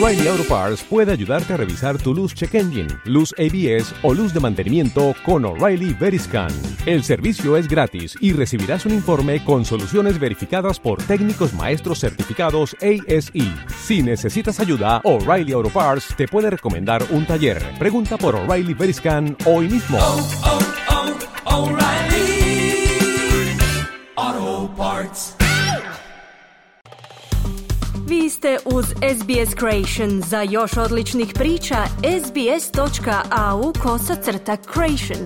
O'Reilly Auto Parts puede ayudarte a revisar tu luz check engine, luz ABS o luz de mantenimiento con O'Reilly Veriscan. El servicio es gratis y recibirás un informe con soluciones verificadas por técnicos maestros certificados ASE. Si necesitas ayuda, O'Reilly Auto Parts te puede recomendar un taller. Pregunta por O'Reilly Veriscan hoy mismo. O'Reilly Auto Parts. Vi ste uz SBS Creation. Za još odličnih priča, sbs.au/creation.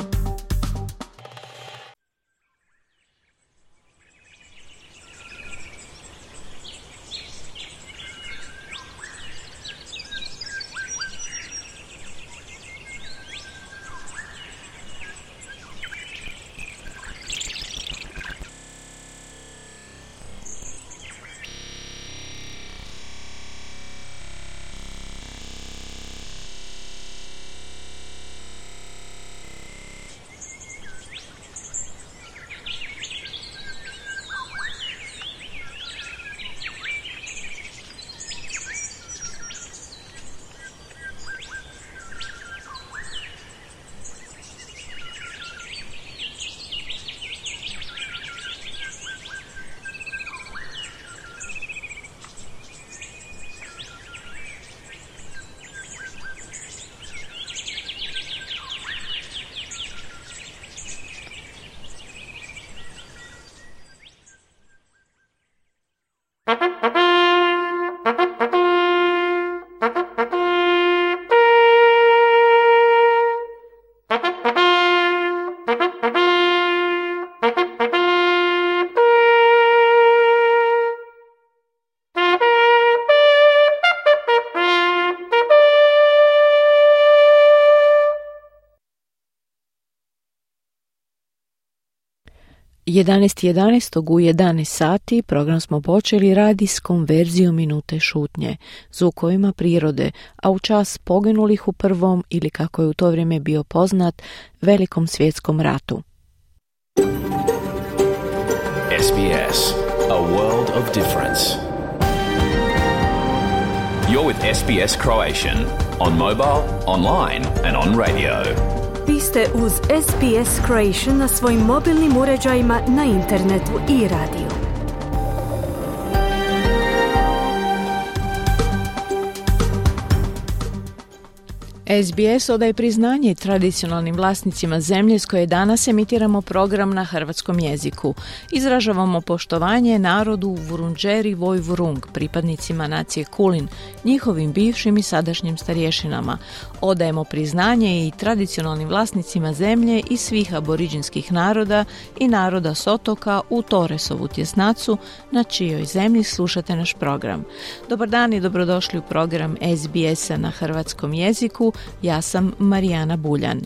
u 11 sati program smo počeli radijskom verzijom minute šutnje, zvukovima prirode, a u čas poginulih u prvom ili kako je u to vrijeme bio poznat, Velikom svjetskom ratu. SBS, a world of difference. You're with SBS Croatian on mobile, online and on radio. Vi ste uz SBS Creation na svojim mobilnim uređajima, na internetu i radiju. SBS odaje priznanje tradicionalnim vlasnicima zemlje s koje danas emitiramo program na hrvatskom jeziku. Izražavamo poštovanje narodu Vurundjeri Vojvurung, pripadnicima nacije Kulin, njihovim bivšim i sadašnjim starješinama. Odajemo priznanje i tradicionalnim vlasnicima zemlje i svih aboriđinskih naroda i naroda s otoka u Torresovu tjesnacu, na čijoj zemlji slušate naš program. Dobar dan i dobrodošli u program SBS-a na hrvatskom jeziku. Ja sam Marijana Buljan.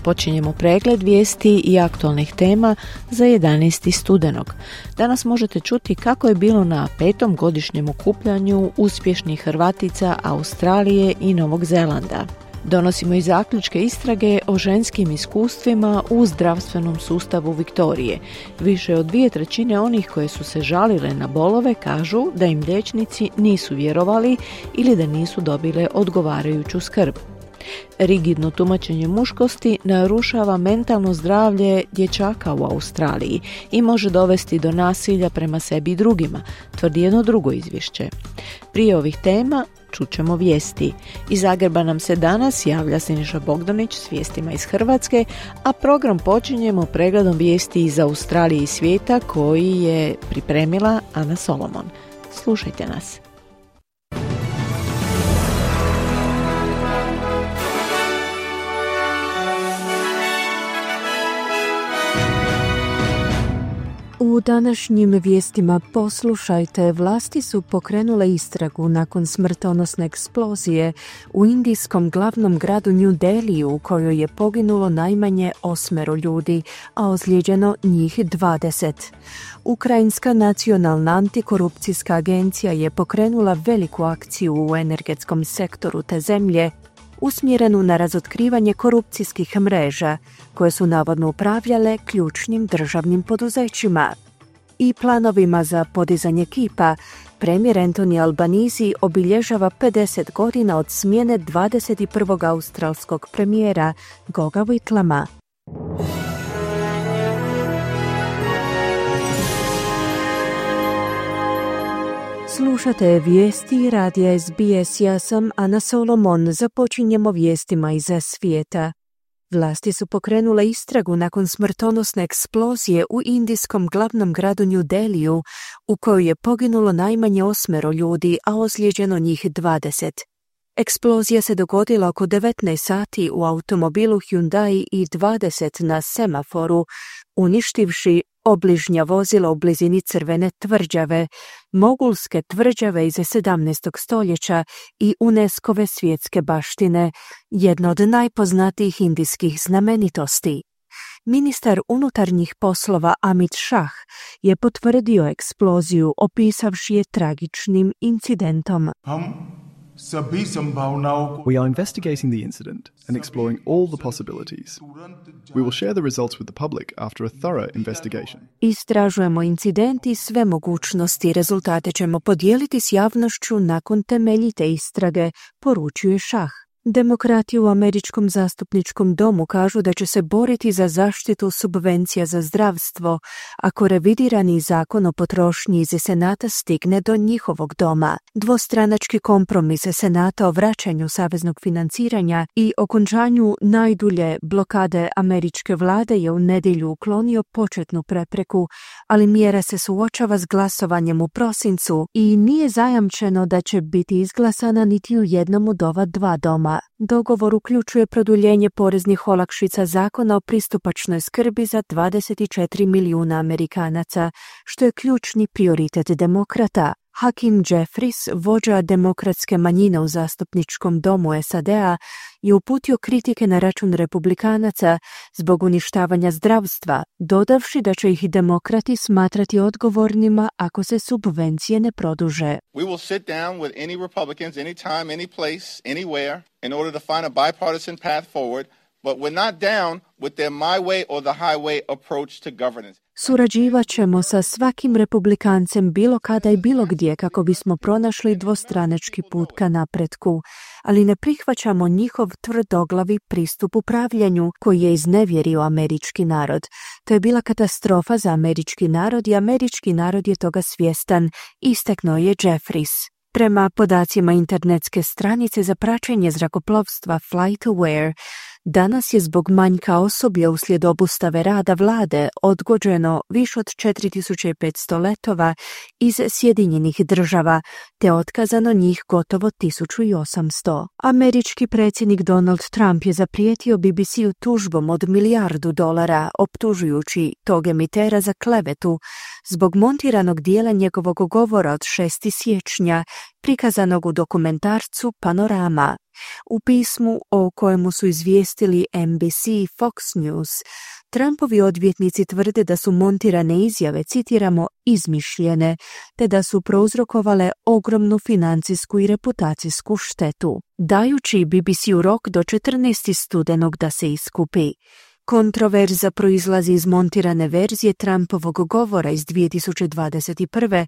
Počinjemo pregled vijesti i aktualnih tema za 11. studenog. Danas možete čuti kako je bilo na 5. godišnjem okupljanju uspješnih Hrvatica Australije i Novog Zelanda. Donosimo i zaključke istrage o ženskim iskustvima u zdravstvenom sustavu Viktorije. Više od 2/3 onih koje su se žalile na bolove kažu da im liječnici nisu vjerovali ili da nisu dobile odgovarajuću skrb. Rigidno tumačenje muškosti narušava mentalno zdravlje dječaka u Australiji i može dovesti do nasilja prema sebi i drugima, tvrdi jedno drugo izvješće. Prije ovih tema čućemo vijesti. Iz Zagreba nam se danas javlja Siniša Bogdanić s vijestima iz Hrvatske, a program počinjemo pregledom vijesti iz Australije i svijeta koji je pripremila Ana Solomon. Slušajte nas. U današnjim vijestima poslušajte, vlasti su pokrenule istragu nakon smrtonosne eksplozije u indijskom glavnom gradu New Delhiju u kojoj je poginulo najmanje 8 ljudi, a ozlijeđeno njih 20. Ukrajinska nacionalna antikorupcijska agencija je pokrenula veliku akciju u energetskom sektoru te zemlje, usmjerenu na razotkrivanje korupcijskih mreža koje su navodno upravljale ključnim državnim poduzećima i planovima za podizanje kipa premijer Anthony Albanese obilježava 50 godina od smjene 21. australskog premijera Goga Whitlama. Slušate vijesti radija SBS, ja sam Ana Solomon, započinjemo vijestima iz svijeta. Vlasti su pokrenule istragu nakon smrtonosne eksplozije u indijskom glavnom gradu New Delhiju, u kojoj je poginulo najmanje 8 ljudi, a ozlijeđeno njih 20. Eksplozija se dogodila oko 19 sati u automobilu Hyundai i20 na semaforu, uništivši obližnja vozila u blizini Crvene tvrđave, mogulske tvrđave iz 17. stoljeća i UNESCO-ve svjetske baštine, jedna od najpoznatijih indijskih znamenitosti. Ministar unutarnjih poslova Amit Shah je potvrdio eksploziju, opisavši je tragičnim incidentom. We are investigating the incident and exploring all the possibilities. We will share the results with the public after a thorough investigation. Istražujemo incident i sve mogućnosti. Rezultate ćemo podijeliti s javnošću nakon temeljite istrage, poručuje Shah. Demokrati u Američkom zastupničkom domu kažu da će se boriti za zaštitu subvencija za zdravstvo ako revidirani zakon o potrošnji iz Senata stigne do njihovog doma. Dvostranački kompromis Senata o vraćanju saveznog financiranja i okončanju najdulje blokade američke vlade je u nedjelju uklonio početnu prepreku, ali mjera se suočava s glasovanjem u prosincu i nije zajamčeno da će biti izglasana niti u jednom od ova dva doma. Dogovor uključuje produljenje poreznih olakšica zakona o pristupačnoj skrbi za 24 milijuna Amerikanaca, što je ključni prioritet demokrata. Hakeem Jeffries, vođa demokratske manjine u zastupničkom domu SAD-a, je uputio kritike na račun republikanaca zbog uništavanja zdravstva, dodavši da će ih demokrati smatrati odgovornima ako se subvencije ne produže. We will sit down with any Republicans, anytime, any place, anywhere, in order to find a bipartisan path forward, but we're not down with their my way or the highway approach to governance. Surađivat ćemo sa svakim republikancem bilo kada i bilo gdje kako bismo pronašli dvostranački put ka napretku, ali ne prihvaćamo njihov tvrdoglavi pristup upravljanju koji je iznevjerio američki narod. To je bila katastrofa za američki narod i američki narod je toga svjestan, istaknuo je Jeffries. Prema podacima internetske stranice za praćenje zrakoplovstva FlightAware, danas je zbog manjka osoblja uslijed obustave rada vlade odgođeno više od 4500 letova iz Sjedinjenih država, te otkazano njih gotovo 1800. Američki predsjednik Donald Trump je zaprijetio BBC-u tužbom od $1 milijardu, optužujući tog emitera za klevetu zbog montiranog dijela njegovog govora od 6. siječnja, prikazanog u dokumentarcu Panorama. U pismu o kojemu su izvijestili NBC i Fox News, Trumpovi odvjetnici tvrde da su montirane izjave, citiramo, izmišljene, te da su prouzrokovale ogromnu financijsku i reputacijsku štetu, dajući BBC-u rok do 14. studenog da se iskupi. Kontroverza proizlazi iz montirane verzije Trumpovog govora iz 2021.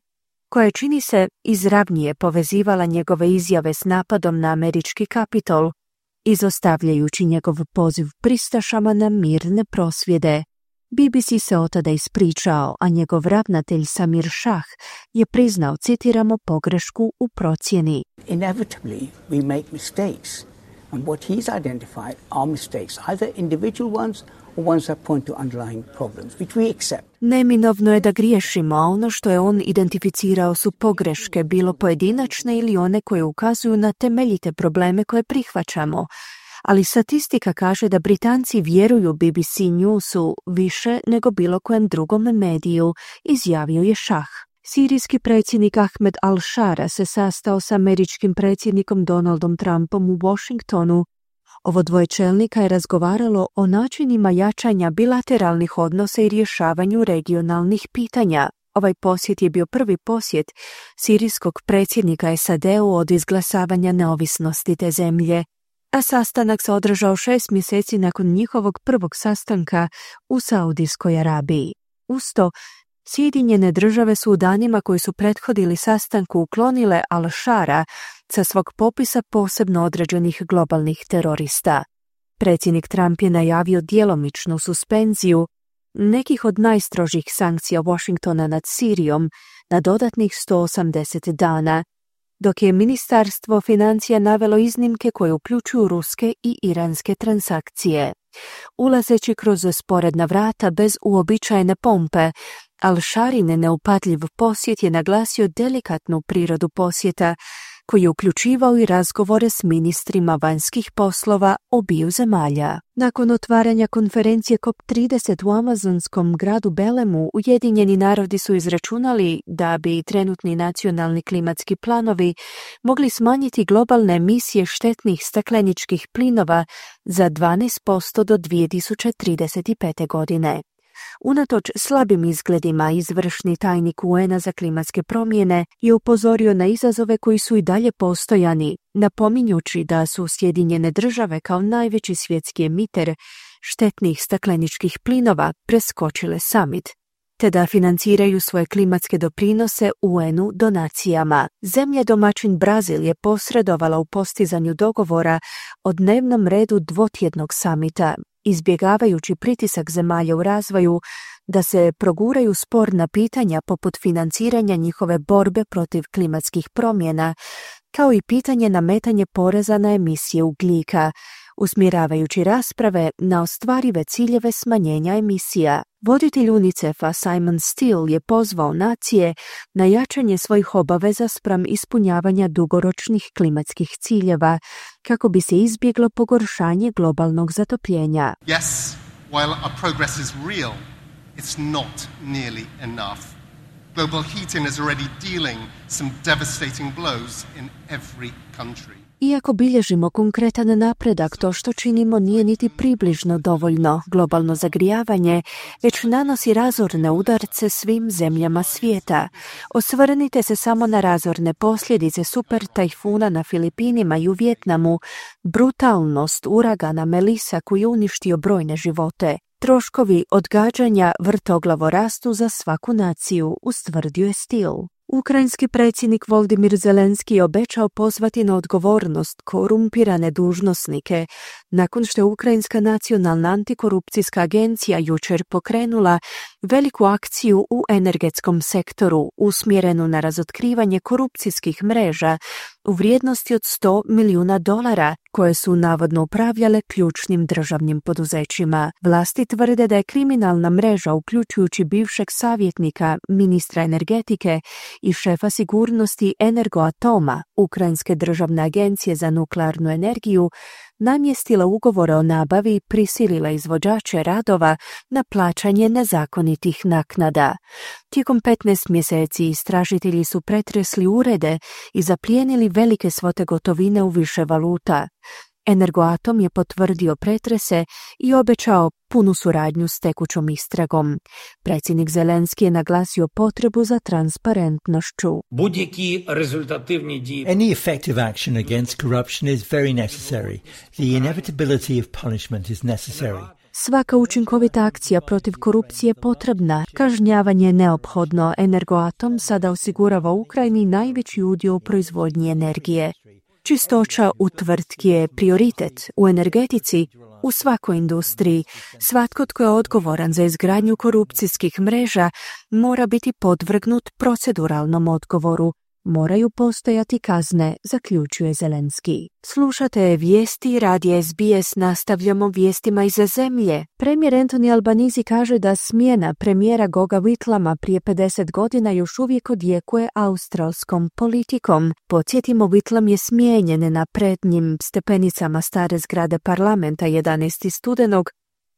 koja čini se izravnije povezivala njegove izjave s napadom na američki Kapitol, izostavljajući njegov poziv pristašama na mirne prosvjede. BBC se od tada ispričao, a njegov ravnatelj Samir Shah je priznao, citiramo, pogrešku u procjeni. Inevitably we make mistakes, and what he's identified are mistakes, either individual ones or ones that point to underlying problems, which we accept. Neminovno je da griješimo, a ono što je on identificirao su pogreške, bilo pojedinačne ili one koje ukazuju na temeljite probleme koje prihvaćamo. Ali statistika kaže da Britanci vjeruju BBC Newsu više nego bilo kojem drugom mediju, izjavio je Shah. Sirijski predsjednik Ahmed al-Shara se sastao s američkim predsjednikom Donaldom Trumpom u Washingtonu. Ovo dvoje čelnika je razgovaralo o načinima jačanja bilateralnih odnosa i rješavanju regionalnih pitanja. Ovaj posjet je bio prvi posjet sirijskog predsjednika SAD-u od izglasavanja neovisnosti te zemlje, a sastanak se održao 6 mjeseci nakon njihovog prvog sastanka u Saudijskoj Arabiji. Uz to, Sjedinjene države su u danima koji su prethodili sastanku uklonile Al-Shara sa svog popisa posebno određenih globalnih terorista. Predsjednik Trump je najavio djelomičnu suspenziju nekih od najstrožih sankcija Washingtona nad Sirijom na dodatnih 180 dana, dok je Ministarstvo financija navelo iznimke koje uključuju ruske i iranske transakcije. Ulazeći kroz sporedna vrata bez uobičajene pompe, Al-Sharin neupadljiv posjet je naglasio delikatnu prirodu posjeta, koji je uključivao i razgovore s ministrima vanjskih poslova obiju zemalja. Nakon otvaranja konferencije COP30 u amazonskom gradu Belemu, Ujedinjeni narodi su izračunali da bi trenutni nacionalni klimatski planovi mogli smanjiti globalne emisije štetnih stakleničkih plinova za 12% do 2035. godine. Unatoč slabim izgledima, izvršni tajnik UN-a za klimatske promjene je upozorio na izazove koji su i dalje postojani, napominjući da su Sjedinjene države kao najveći svjetski emiter štetnih stakleničkih plinova preskočile summit, te da financiraju svoje klimatske doprinose UN-u donacijama. Zemlja domaćin Brazil je posredovala u postizanju dogovora o dnevnom redu dvotjednog samita, izbjegavajući pritisak zemalja u razvoju da se proguraju sporna pitanja poput financiranja njihove borbe protiv klimatskih promjena, kao i pitanje nametanje poreza na emisije ugljika, usmjeravajući rasprave na ostvarive ciljeve smanjenja emisija. Voditelj UNICEF-a Simon Steele je pozvao nacije na jačanje svojih obaveza spram ispunjavanja dugoročnih klimatskih ciljeva, kako bi se izbjeglo pogoršanje globalnog zatopljenja. Yes, while our progress is real, it's not nearly enough. Global heating is already dealing some devastating blows in every country. Iako bilježimo konkretan napredak, to što činimo nije niti približno dovoljno. Globalno zagrijavanje već nanosi razorne udarce svim zemljama svijeta. Osvrnite se samo na razorne posljedice super tajfuna na Filipinima i u Vijetnamu, brutalnost uragana Melissa koji je uništio brojne živote. Troškovi odgađanja vrtoglavo rastu za svaku naciju, ustvrdio je Steele. Ukrajinski predsjednik Volodymyr Zelenski je obećao pozvati na odgovornost korumpirane dužnosnike nakon što je Ukrajinska nacionalna antikorupcijska agencija jučer pokrenula veliku akciju u energetskom sektoru usmjerenu na razotkrivanje korupcijskih mreža u vrijednosti od $100 milijuna koje su navodno upravljale ključnim državnim poduzećima. Vlasti tvrde da je kriminalna mreža, uključujući bivšeg savjetnika, ministra energetike i šefa sigurnosti Energoatoma, Ukrajinske državne agencije za nuklearnu energiju, namjestila ugovore o nabavi i prisilila izvođače radova na plaćanje nezakonitih naknada. Tijekom 15 mjeseci istražitelji su pretresli urede i zaplijenili velike svote gotovine u više valuta. Energoatom je potvrdio pretrese i obećao punu suradnju s tekućom istragom. Predsjednik Zelenski je naglasio potrebu za transparentnošću. Any effective action against corruption is very necessary. The inevitability of punishment is necessary. Svaka učinkovita akcija protiv korupcije je potrebna. Kažnjavanje je neophodno. Energoatom sada osigurava Ukrajini najveći udio u proizvodnji energije. Čistoća u tvrtki je prioritet u energetici, u svakoj industriji. Svatko tko je odgovoran za izgradnju korupcijskih mreža mora biti podvrgnut proceduralnom odgovoru. Moraju postojati kazne, zaključuje Zelenski. Slušate vijesti radija SBS, nastavljamo vijestima iz zemlje. Premijer Anthony Albanese kaže da smjena premijera Goga Whitlama prije 50 godina još uvijek odjekuje australskom politikom. Podsjetimo, Whitlam je smijenjen na prednjim stepenicama stare zgrade parlamenta 11. studenog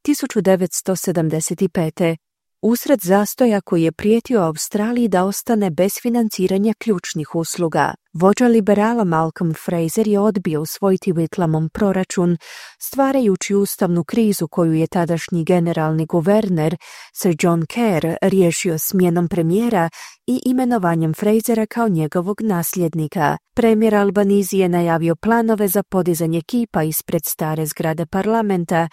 1975. usred zastoja koji je prijetio Australiji da ostane bez financiranja ključnih usluga. Vođa liberala Malcolm Fraser je odbio usvojiti Whitlamov proračun, stvarajući ustavnu krizu koju je tadašnji generalni guverner Sir John Kerr riješio smjenom premijera i imenovanjem Frasera kao njegovog nasljednika. Premijer Albanese je najavio planove za podizanje kipa ispred stare zgrade parlamenta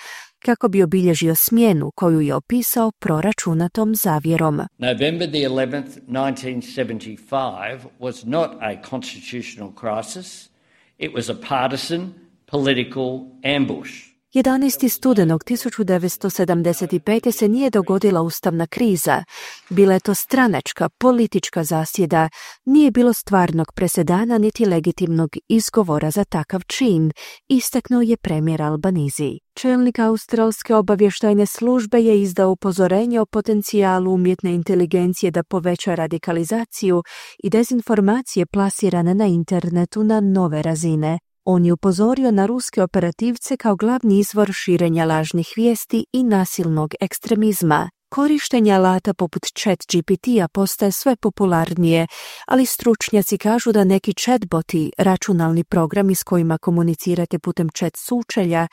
kako bi obilježio smjenu koju je opisao proračunatom zavjerom. November the 11th, 1975 was not a constitutional crisis. It was a partisan political ambush. 11. studenog 1975. se nije dogodila ustavna kriza. Bila je to stranačka, politička zasjeda. Nije bilo stvarnog presedana niti legitimnog izgovora za takav čin, istaknuo je premijer Albanizi. Čelnik australske obavještajne službe je izdao upozorenje o potencijalu umjetne inteligencije da poveća radikalizaciju i dezinformacije plasirane na internetu na nove razine. On je upozorio na ruske operativce kao glavni izvor širenja lažnih vijesti i nasilnog ekstremizma. Korištenje alata poput ChatGPT-a postaje sve popularnije, ali stručnjaci kažu da neki chatboti, računalni programi s kojima komunicirate putem chat sučelja,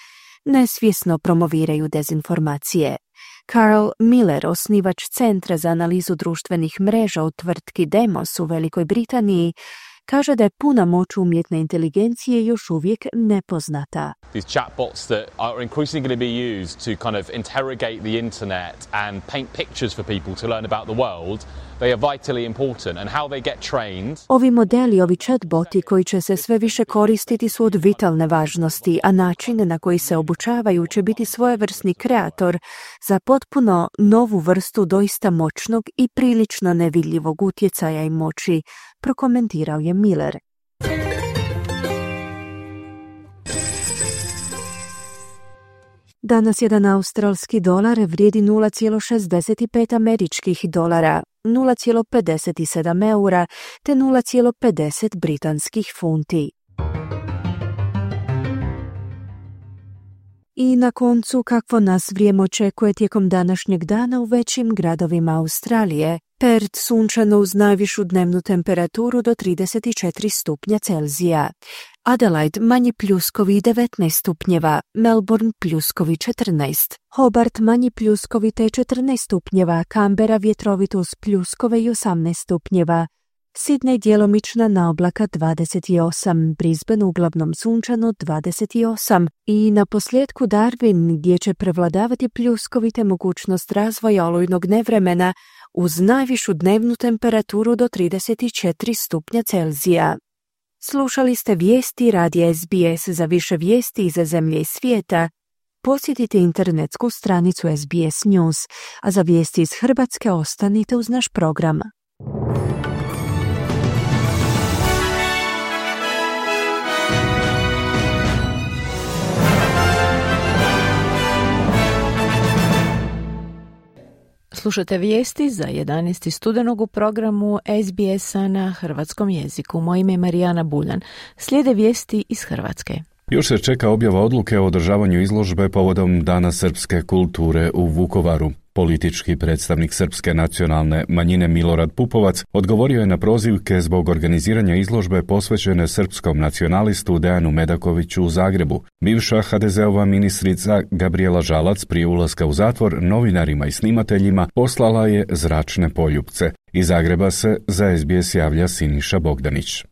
nesvjesno promoviraju dezinformacije. Carl Miller, osnivač Centra za analizu društvenih mreža u tvrtki Demos u Velikoj Britaniji, kaže da je puna moć umjetne inteligencije još uvijek nepoznata. These chatbots that are increasingly going to be used to kind of interrogate the internet and paint pictures for people to learn about the world, they are vitally important and how they get trained. Ovi modeli, ovi chatboti koji će se sve više koristiti su od vitalne važnosti, a način na koji se obučavaju će biti svojevrsni kreator za potpuno novu vrstu doista moćnog i prilično nevidljivog utjecaja i moći, prokomentirao je Miller. Danas jedan australski dolar vrijedi 0,65 američkih dolara, 0,57 eura te 0,50 britanskih funti. I na koncu, kakvo nas vrijeme očekuje tijekom današnjeg dana u većim gradovima Australije. Perth sunčano uz najvišu dnevnu temperaturu do 34 stupnja Celzija. Adelaide manji pljuskovi 19 stupnjeva, Melbourne pljuskovi 14, Hobart manji pljuskovi te 14 stupnjeva, Canberra vjetrovito uz pljuskove i 18 stupnjeva, Sydney djelomična naoblaka 28, Brisbane uglavnom sunčano 28 i na posljedku Darwin gdje će prevladavati pljuskovi te mogućnost razvoja olujnog nevremena uz najvišu dnevnu temperaturu do 34 stupnja Celzija. Slušali ste vijesti radija SBS. Za više vijesti iz zemlje i svijeta posjetite internetsku stranicu SBS News, a za vijesti iz Hrvatske ostanite uz naš program. Slušate vijesti za 11. studenog u programu SBS-a na hrvatskom jeziku. Moje ime je Marijana Buljan. Slijede vijesti iz Hrvatske. Još se čeka objava odluke o održavanju izložbe povodom Dana srpske kulture u Vukovaru. Politički predstavnik srpske nacionalne manjine Milorad Pupovac odgovorio je na prozivke zbog organiziranja izložbe posvećene srpskom nacionalistu Dejanu Medakoviću u Zagrebu. Bivša HDZ-ova ministrica Gabrijela Žalac prije ulaska u zatvor novinarima i snimateljima poslala je zračne poljupce. Iz Zagreba se za SBS javlja Siniša Bogdanić.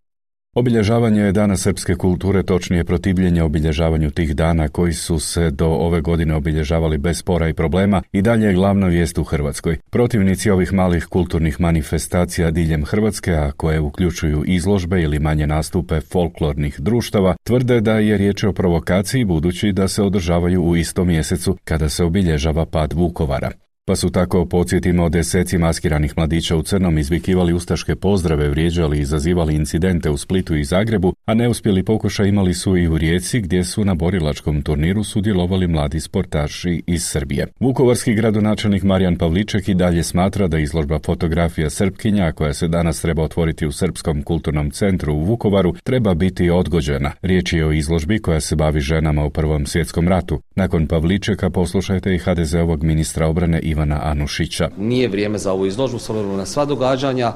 Obilježavanje Dana srpske kulture, točnije protivljenje obilježavanju tih dana koji su se do ove godine obilježavali bez spora i problema, i dalje je glavna vijest u Hrvatskoj. Protivnici ovih malih kulturnih manifestacija diljem Hrvatske, a koje uključuju izložbe ili manje nastupe folklornih društava, tvrde da je riječ o provokaciji budući da se održavaju u istom mjesecu kada se obilježava pad Vukovara. Pa su tako, podsjetimo, deseci maskiranih mladića u crnom izvikivali ustaške pozdrave, vrijeđali i izazivali incidente u Splitu i Zagrebu, a neuspjeli pokušaj imali su i u Rijeci gdje su na borilačkom turniru sudjelovali mladi sportaši iz Srbije. Vukovarski gradonačelnik Marijan Pavliček i dalje smatra da izložba fotografija Srpkinja, koja se danas treba otvoriti u Srpskom kulturnom centru u Vukovaru, treba biti odgođena. Riječ je o izložbi koja se bavi ženama u Prvom svjetskom ratu. Nakon Pavličeka poslušajte i HDZ-ovog ministra obrane Ivana Anušića. Nije vrijeme za ovu izložbu s obzirom na sva događanja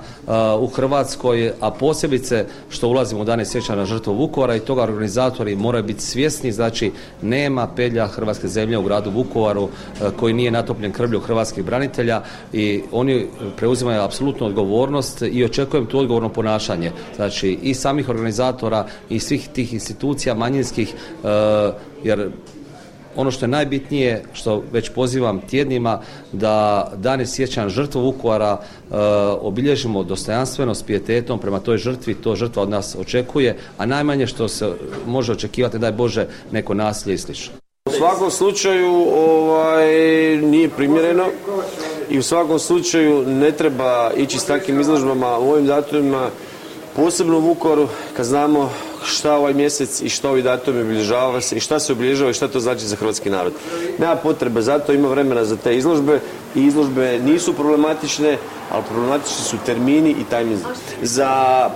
u Hrvatskoj, a posebice što ulazimo u dane sjećanja na žrtvu Vukovara, i toga organizatori moraju biti svjesni. Znači, nema pedlja hrvatske zemlje u gradu Vukovaru koji nije natopljen krvlju hrvatskih branitelja, i oni preuzimaju apsolutnu odgovornost i očekujem tu odgovorno ponašanje. Znači, i samih organizatora i svih tih institucija manjinskih, jer ono što je najbitnije, što već pozivam tjednima, da dane sjećanja žrtve Vukovara obilježimo dostojanstveno, s pijetetom prema toj žrtvi, to žrtva od nas očekuje, a najmanje što se može očekivati, daj Bože, neko nasilje i slično. U svakom slučaju nije primjereno i u svakom slučaju ne treba ići s takvim izložbama u ovim datumima, posebno u Vukovaru, kad znamo šta ovaj mjesec i što ovi datumi obilježava se i šta se obilježava i šta to znači za hrvatski narod. Nema potrebe, zato ima vremena za te izložbe i izložbe nisu problematične, ali problematični su termini i tajminzi. Za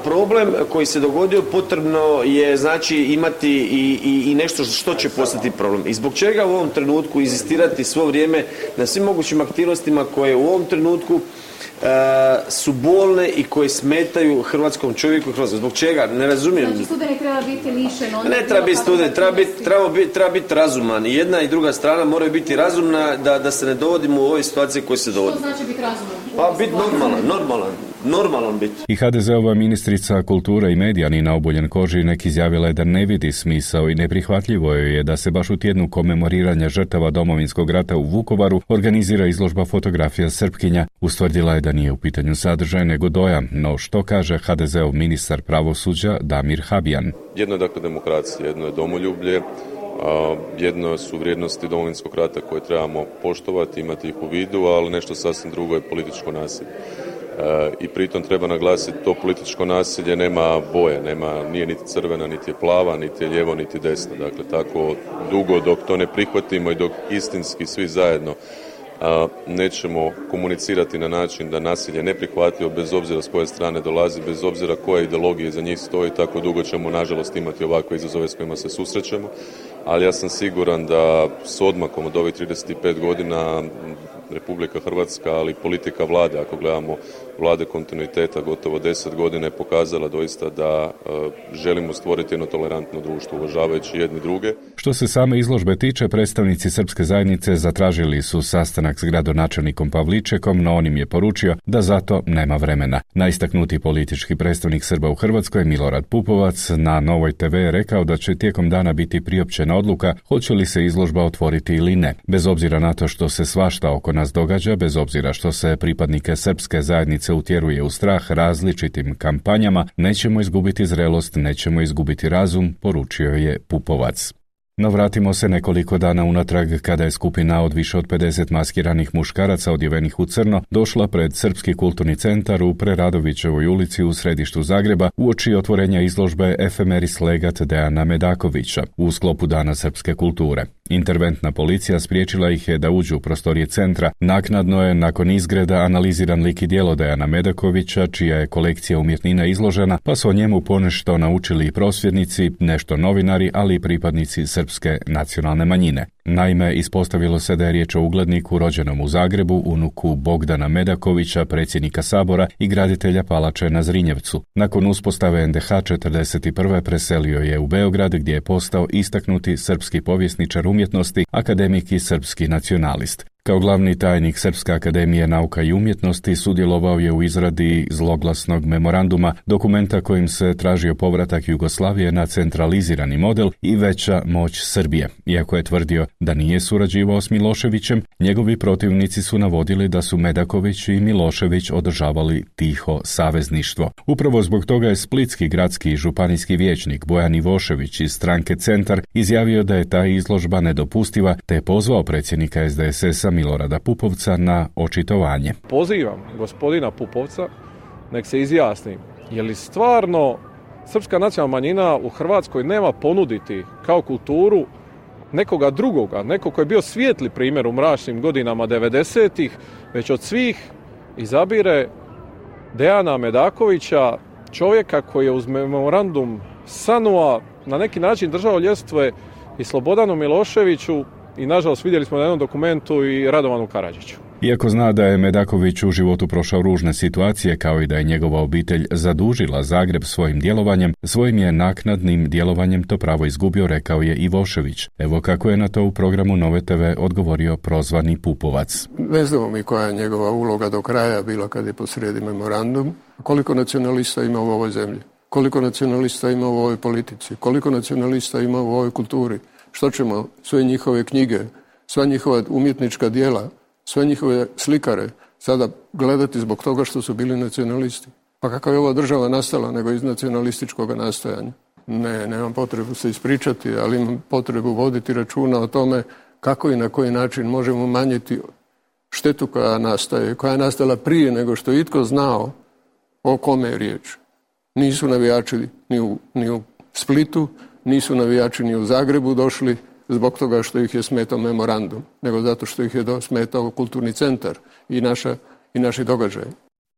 problem koji se dogodio potrebno je znači imati i nešto što će postati problem. I zbog čega u ovom trenutku inzistirati svo vrijeme na svim mogućim aktivnostima koje u ovom trenutku su bolne i koje smetaju hrvatskom čovjeku i Hrvatskoj. Zbog čega? Ne razumijem. Znači studenik treba biti lišen. Ne treba biti studenik, treba biti razuman. I jedna i druga strana moraju biti razumna da se ne dovodimo u ove situacije koje se dovode. Što znači biti razuman? Pa biti normalan biti. I HDZ-ova ministrica kulture i medija Nina Obuljen-Koržinek izjavila je da ne vidi smisao i neprihvatljivo je da se baš u tjednu komemoriranja žrtava Domovinskog rata u Vukovaru organizira izložba fotografija Srpkinja. Ustvrdila je da nije u pitanju sadržaj nego dojam, no što kaže HDZ-ov ministar pravosuđa Damir Habijan. Jedno je dakle demokracija, jedno je domoljublje, jedno su vrijednosti Domovinskog rata koje trebamo poštovati, imati ih u vidu, ali nešto sasvim drugo je političko nasilje. I pritom treba naglasiti, to političko nasilje nema boje, nije niti crvena, niti je plava, niti je lijevo, niti desno. Dakle, tako dugo dok to ne prihvatimo i dok istinski svi zajedno nećemo komunicirati na način da nasilje neprihvatljivo bez obzira s koje strane dolazi, bez obzira koje ideologije za njih stoji, tako dugo ćemo nažalost imati ovakve izazove s kojima se susrećemo. Ali ja sam siguran da s odmakom od ovih 35 godina Republika Hrvatska, ali politika vlade, ako gledamo vlade kontinuiteta gotovo 10 godina, je pokazala doista da želimo stvoriti jedno tolerantno društvo, uvažavajući jedni druge. Što se same izložbe tiče, predstavnici srpske zajednice zatražili su sastanak s gradonačelnikom Pavličekom, no on im je poručio da zato nema vremena. Najistaknutiji politički predstavnik Srba u Hrvatskoj, Milorad Pupovac, na Novoj TV je rekao da će tijekom dana biti priopćena odluka hoće li se izložba otvoriti ili ne. Bez obzira na to što se svašta oko nas događa, bez obzira što se pripadnike srpske zajednice utjeruje u strah različitim kampanjama, nećemo izgubiti zrelost, nećemo izgubiti razum, poručio je Pupovac. No vratimo se nekoliko dana unatrag kada je skupina od više od 50 maskiranih muškaraca odjevenih u crno došla pred Srpski kulturni centar u Preradovićevoj ulici u središtu Zagreba uoči otvorenja izložbe Efemeris legat Dejana Medakovića u sklopu Dana srpske kulture. Interventna policija spriječila ih je da uđu u prostorije centra. Naknadno je nakon izgreda analiziran lik i djelo Dejana Medakovića, čija je kolekcija umjetnina izložena, pa su o njemu ponešto naučili i prosvjednici, nešto novinari, ali i pripadnici srpske nacionalne manjine. Naime, ispostavilo se da je riječ o ugledniku rođenom u Zagrebu, unuku Bogdana Medakovića, predsjednika Sabora i graditelja palače na Zrinjevcu. Nakon uspostave NDH 1941. preselio je u Beograd, gdje je postao istaknuti srpski povjesničar umjetnosti, akademik i srpski nacionalist. Kao glavni tajnik Srpske akademije nauka i umjetnosti sudjelovao je u izradi zloglasnog memoranduma, dokumenta kojim se tražio povratak Jugoslavije na centralizirani model i veća moć Srbije. Iako je tvrdio da nije surađivao s Miloševićem, njegovi protivnici su navodili da su Medaković i Milošević održavali tiho savezništvo. Upravo zbog toga je splitski gradski i županijski vijećnik Bojan Ivošević iz stranke Centar izjavio da je ta izložba nedopustiva, te je pozvao predsjednika SDSS-a Milorada Pupovca na očitovanje. Pozivam gospodina Pupovca nek se izjasni je li stvarno srpska nacionalna manjina u Hrvatskoj nema ponuditi kao kulturu nekoga drugoga, neko koji je bio svijetli primjer u mračnim godinama 90-ih, već od svih izabire Dejana Medakovića, čovjeka koji je uz memorandum SANU-a na neki način držao ljestve i Slobodanu Miloševiću i nažalost vidjeli smo na jednom dokumentu i Radovanu Karadžiću. Iako zna da je Medaković u životu prošao ružne situacije, kao i da je njegova obitelj zadužila Zagreb svojim djelovanjem, svojim je naknadnim djelovanjem to pravo izgubio, rekao je Ivošević. Evo kako je na to u programu Nove TV odgovorio prozvani Pupovac. Ne znamo mi koja je njegova uloga do kraja bila kad je posrijedi memorandum. Koliko nacionalista ima u ovoj zemlji? Koliko nacionalista ima u ovoj politici? Koliko nacionalista ima u ovoj kulturi? Što ćemo sve njihove knjige, sva njihova umjetnička djela, sve njihove slikare sada gledati zbog toga što su bili nacionalisti? Pa kakva je ova država nastala nego iz nacionalističkog nastojanja? Ne, nemam potrebu se ispričati, ali imam potrebu voditi računa o tome kako i na koji način možemo umanjiti štetu koja nastaje, koja je nastala prije nego što je itko znao o kome je riječ. Nisu navijači ni u Splitu, nisu navijači ni u Zagrebu došli zbog toga što ih je smetao memorandum, nego zato što ih je smetao kulturni centar i naši događaji.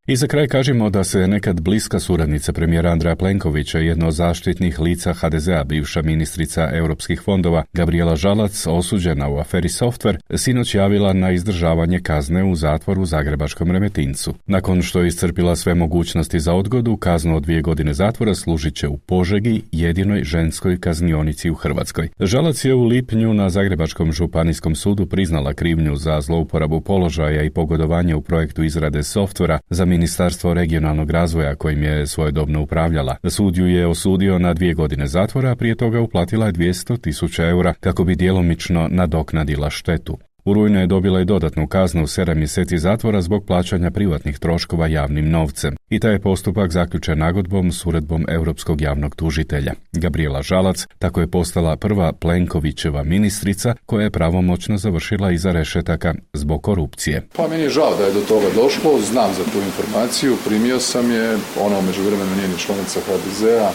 I za kraj kažemo da se nekad bliska suradnica premijera Andreja Plenkovića, jedno od zaštitnih lica HDZ-a, bivša ministrica europskih fondova Gabrijela Žalac, osuđena u aferi Software, sinoć javila na izdržavanje kazne u zatvoru u zagrebačkom Remetincu. Nakon što je iscrpila sve mogućnosti za odgodu, kaznu od 2 godine zatvora služit će u Požegi, jedinoj ženskoj kaznionici u Hrvatskoj. Žalac je u lipnju na Zagrebačkom županijskom sudu priznala krivnju za zlouporabu položaja i pogodovanje u projektu izrade softvera za Ministarstvo regionalnog razvoja kojim je svojedobno upravljala. Sud ju je osudio na 2 godine zatvora, a prije toga uplatila je 200.000 eura kako bi djelomično nadoknadila štetu. U rujnu je dobila i dodatnu kaznu u 7 mjeseci zatvora zbog plaćanja privatnih troškova javnim novcem. I taj je postupak zaključen nagodbom s uredbom Europskog javnog tužitelja. Gabrijela Žalac tako je postala prva Plenkovićeva ministrica koja je pravomoćno završila iza rešetaka zbog korupcije. Pa meni je žao da je do toga došlo, znam za tu informaciju, primio sam je, ona u međuvremenu nije ni članica HDZ-a,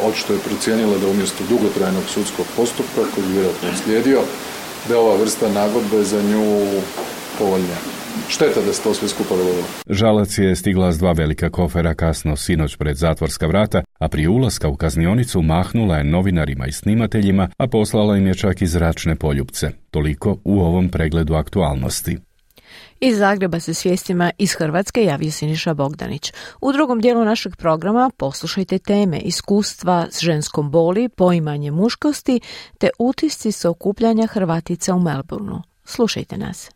očito je procijenila da umjesto dugotrajnog sudskog postupka koji je vjerojatno slijedio, da je ova vrsta nagodbe za nju povoljnija. Šteta da se to sve skupa dogodilo. Žalac je stigla s 2 velika kofera kasno sinoć pred zatvorska vrata, a prije ulaska u kaznionicu mahnula je novinarima i snimateljima, a poslala im je čak i zračne poljupce. Toliko u ovom pregledu aktualnosti. Iz Zagreba se s vijestima iz Hrvatske javio Siniša Bogdanić. U drugom dijelu našeg programa poslušajte teme iskustva s ženskom boli, poimanje muškosti te utisci sa okupljanja Hrvatica u Melbourneu. Slušajte nas.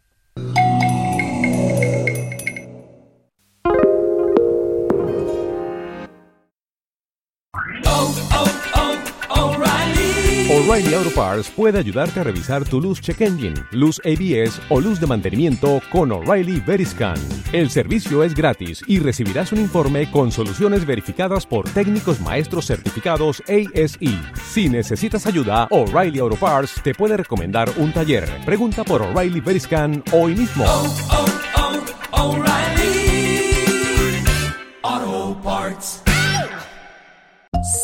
O'Reilly Auto Parts puede ayudarte a revisar tu luz check engine, luz ABS o luz de mantenimiento con O'Reilly Veriscan. El servicio es gratis y recibirás un informe con soluciones verificadas por técnicos maestros certificados ASE. Si necesitas ayuda, O'Reilly Auto Parts te puede recomendar un taller. Pregunta por O'Reilly Veriscan hoy mismo. O'Reilly Auto Parts.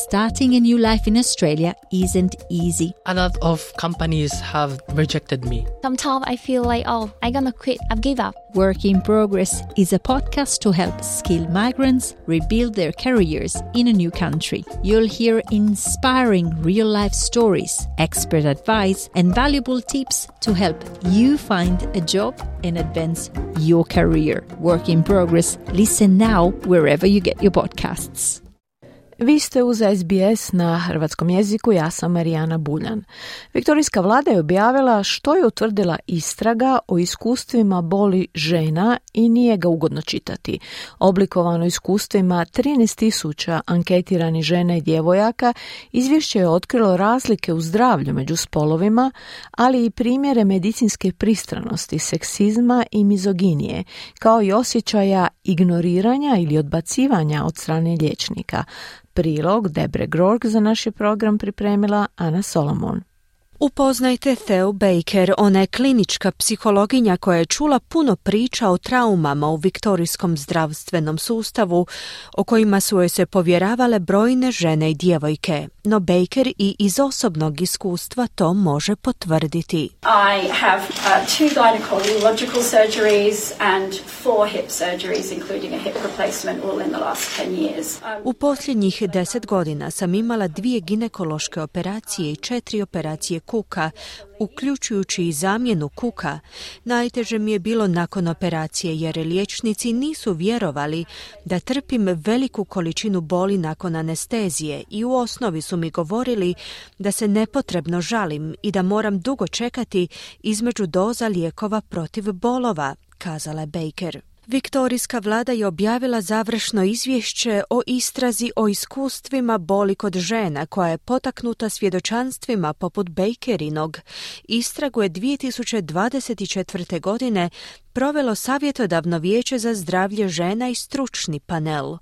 Starting a new life in Australia isn't easy. A lot of companies have rejected me. Sometimes I feel like, I'm gonna quit, I've give up. Work in Progress is a podcast to help skilled migrants rebuild their careers in a new country. You'll hear inspiring real-life stories, expert advice, and valuable tips to help you find a job and advance your career. Work in Progress. Listen now wherever you get your podcasts. Vi ste uz SBS na hrvatskom jeziku, ja sam Marijana Buljan. Viktorijska vlada je objavila što je utvrdila istraga o iskustvima boli žena i nije ga ugodno čitati. Oblikovano iskustvima 13.000 anketiranih žena i djevojaka, izvješće je otkrilo razlike u zdravlju među spolovima, ali i primjere medicinske pristranosti, seksizma i mizoginije, kao i osjećaja ignoriranja ili odbacivanja od strane liječnika. Prilog Debre Grork za naš je program pripremila Ana Solomon. Upoznajte Theo Baker, ona je klinička psihologinja koja je čula puno priča o traumama u viktorijskom zdravstvenom sustavu, o kojima su joj se povjeravale brojne žene i djevojke. No Baker i iz osobnog iskustva to može potvrditi. I have 2 gynecological surgeries and 4 hip surgeries, including a hip replacement, all in the last 10 years. U posljednjih 10 godina sam imala 2 ginekološke operacije i 4 operacije kuka, uključujući i zamjenu kuka. Najteže mi je bilo nakon operacije jer liječnici nisu vjerovali da trpim veliku količinu boli nakon anestezije i u osnovi su mi govorili da se nepotrebno žalim i da moram dugo čekati između doza lijekova protiv bolova, kazala je Baker. Viktorijska vlada je objavila završno izvješće o istrazi o iskustvima boli kod žena koja je potaknuta svjedočanstvima poput Bakerinog. Istragu je 2024. godine provelo Savjetodavno vijeće za zdravlje žena i stručni panel.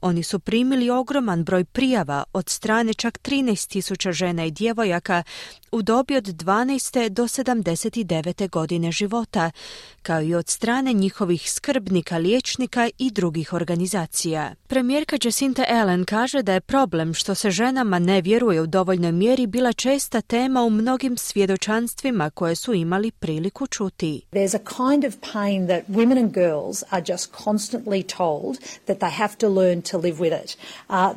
Oni su primili ogroman broj prijava od strane čak 13.000 žena i djevojaka u dobi od 12. do 79. godine života, kao i od strane njihovih skrbnika, liječnika i drugih organizacija. Premijerka Jacinta Ardern kaže da je problem što se ženama ne vjeruje u dovoljnoj mjeri bila česta tema u mnogim svjedočanstvima koje su imali priliku čuti. There's a kind of pain that women and girls are just constantly told that they have to learn to live with it.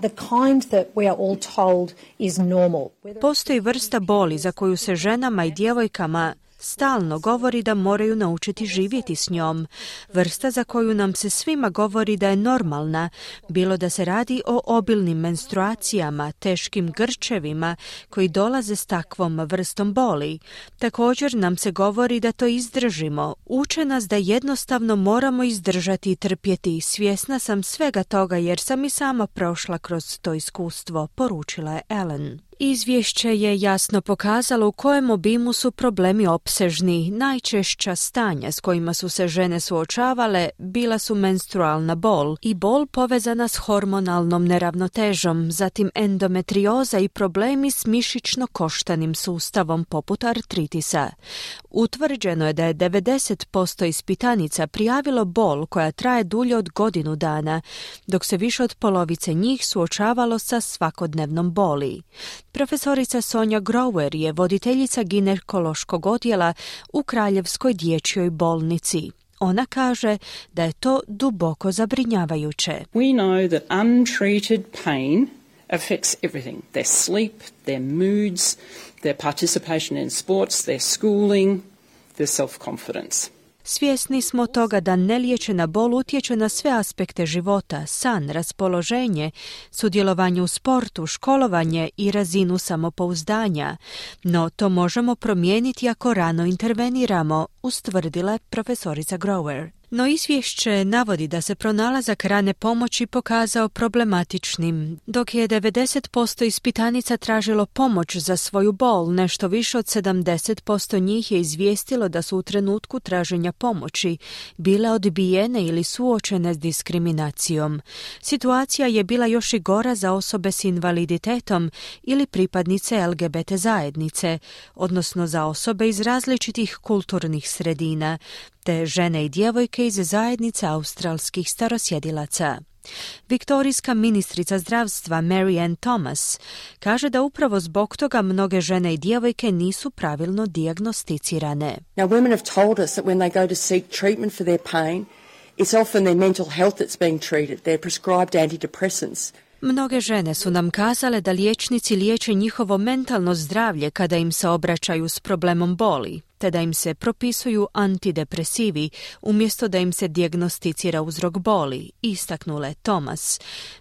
The kind that we are all told is normal. Postoji vrsta boli za koju se ženama i djevojkama stalno govori da moraju naučiti živjeti s njom. Vrsta za koju nam se svima govori da je normalna, bilo da se radi o obilnim menstruacijama, teškim grčevima koji dolaze s takvom vrstom boli. Također nam se govori da to izdržimo. Uče nas da jednostavno moramo izdržati i trpjeti. Svjesna sam svega toga jer sam i sama prošla kroz to iskustvo, poručila je Ellen. Izvješće je jasno pokazalo u kojem obimu su problemi opsežni. Najčešća stanja s kojima su se žene suočavale bila su menstrualna bol i bol povezana s hormonalnom neravnotežom, zatim endometrioza i problemi s mišićno-koštanim sustavom poput artritisa. Utvrđeno je da je 90% ispitanica prijavilo bol koja traje dulje od godinu dana, dok se više od polovice njih suočavalo sa svakodnevnom boli. Profesorica Sonja Grower je voditeljica ginekološkog odjela u Kraljevskoj dječjoj bolnici. Ona kaže da je to duboko zabrinjavajuće. We know that untreated pain affects everything. Their sleep, their moods, their participation in sports, their schooling, their self-confidence. Svjesni smo toga da neliječena bol utječe na sve aspekte života, san, raspoloženje, sudjelovanje u sportu, školovanje i razinu samopouzdanja. No to možemo promijeniti ako rano interveniramo, ustvrdila je profesorica Grower. No izvješće navodi da se pronalazak rane pomoći pokazao problematičnim. Dok je 90% ispitanica tražilo pomoć za svoju bol, nešto više od 70% njih je izvijestilo da su u trenutku traženja pomoći bile odbijene ili suočene s diskriminacijom. Situacija je bila još i gora za osobe s invaliditetom ili pripadnice LGBT zajednice, odnosno za osobe iz različitih kulturnih sredina, te žene i djevojke iz zajednice australskih starosjedilaca. Viktorijska ministrica zdravstva Mary Ann Thomas kaže da upravo zbog toga mnoge žene i djevojke nisu pravilno dijagnosticirane. Now women have told us that when they go to seek treatment for their pain, it's often their mental health that's being treated. They're prescribed antidepressants. Mnoge žene su nam kazale da liječnici liječe njihovo mentalno zdravlje kada im se obraćaju s problemom boli, te da im se propisuju antidepresivi umjesto da im se dijagnosticira uzrok boli, istaknula je Thomas,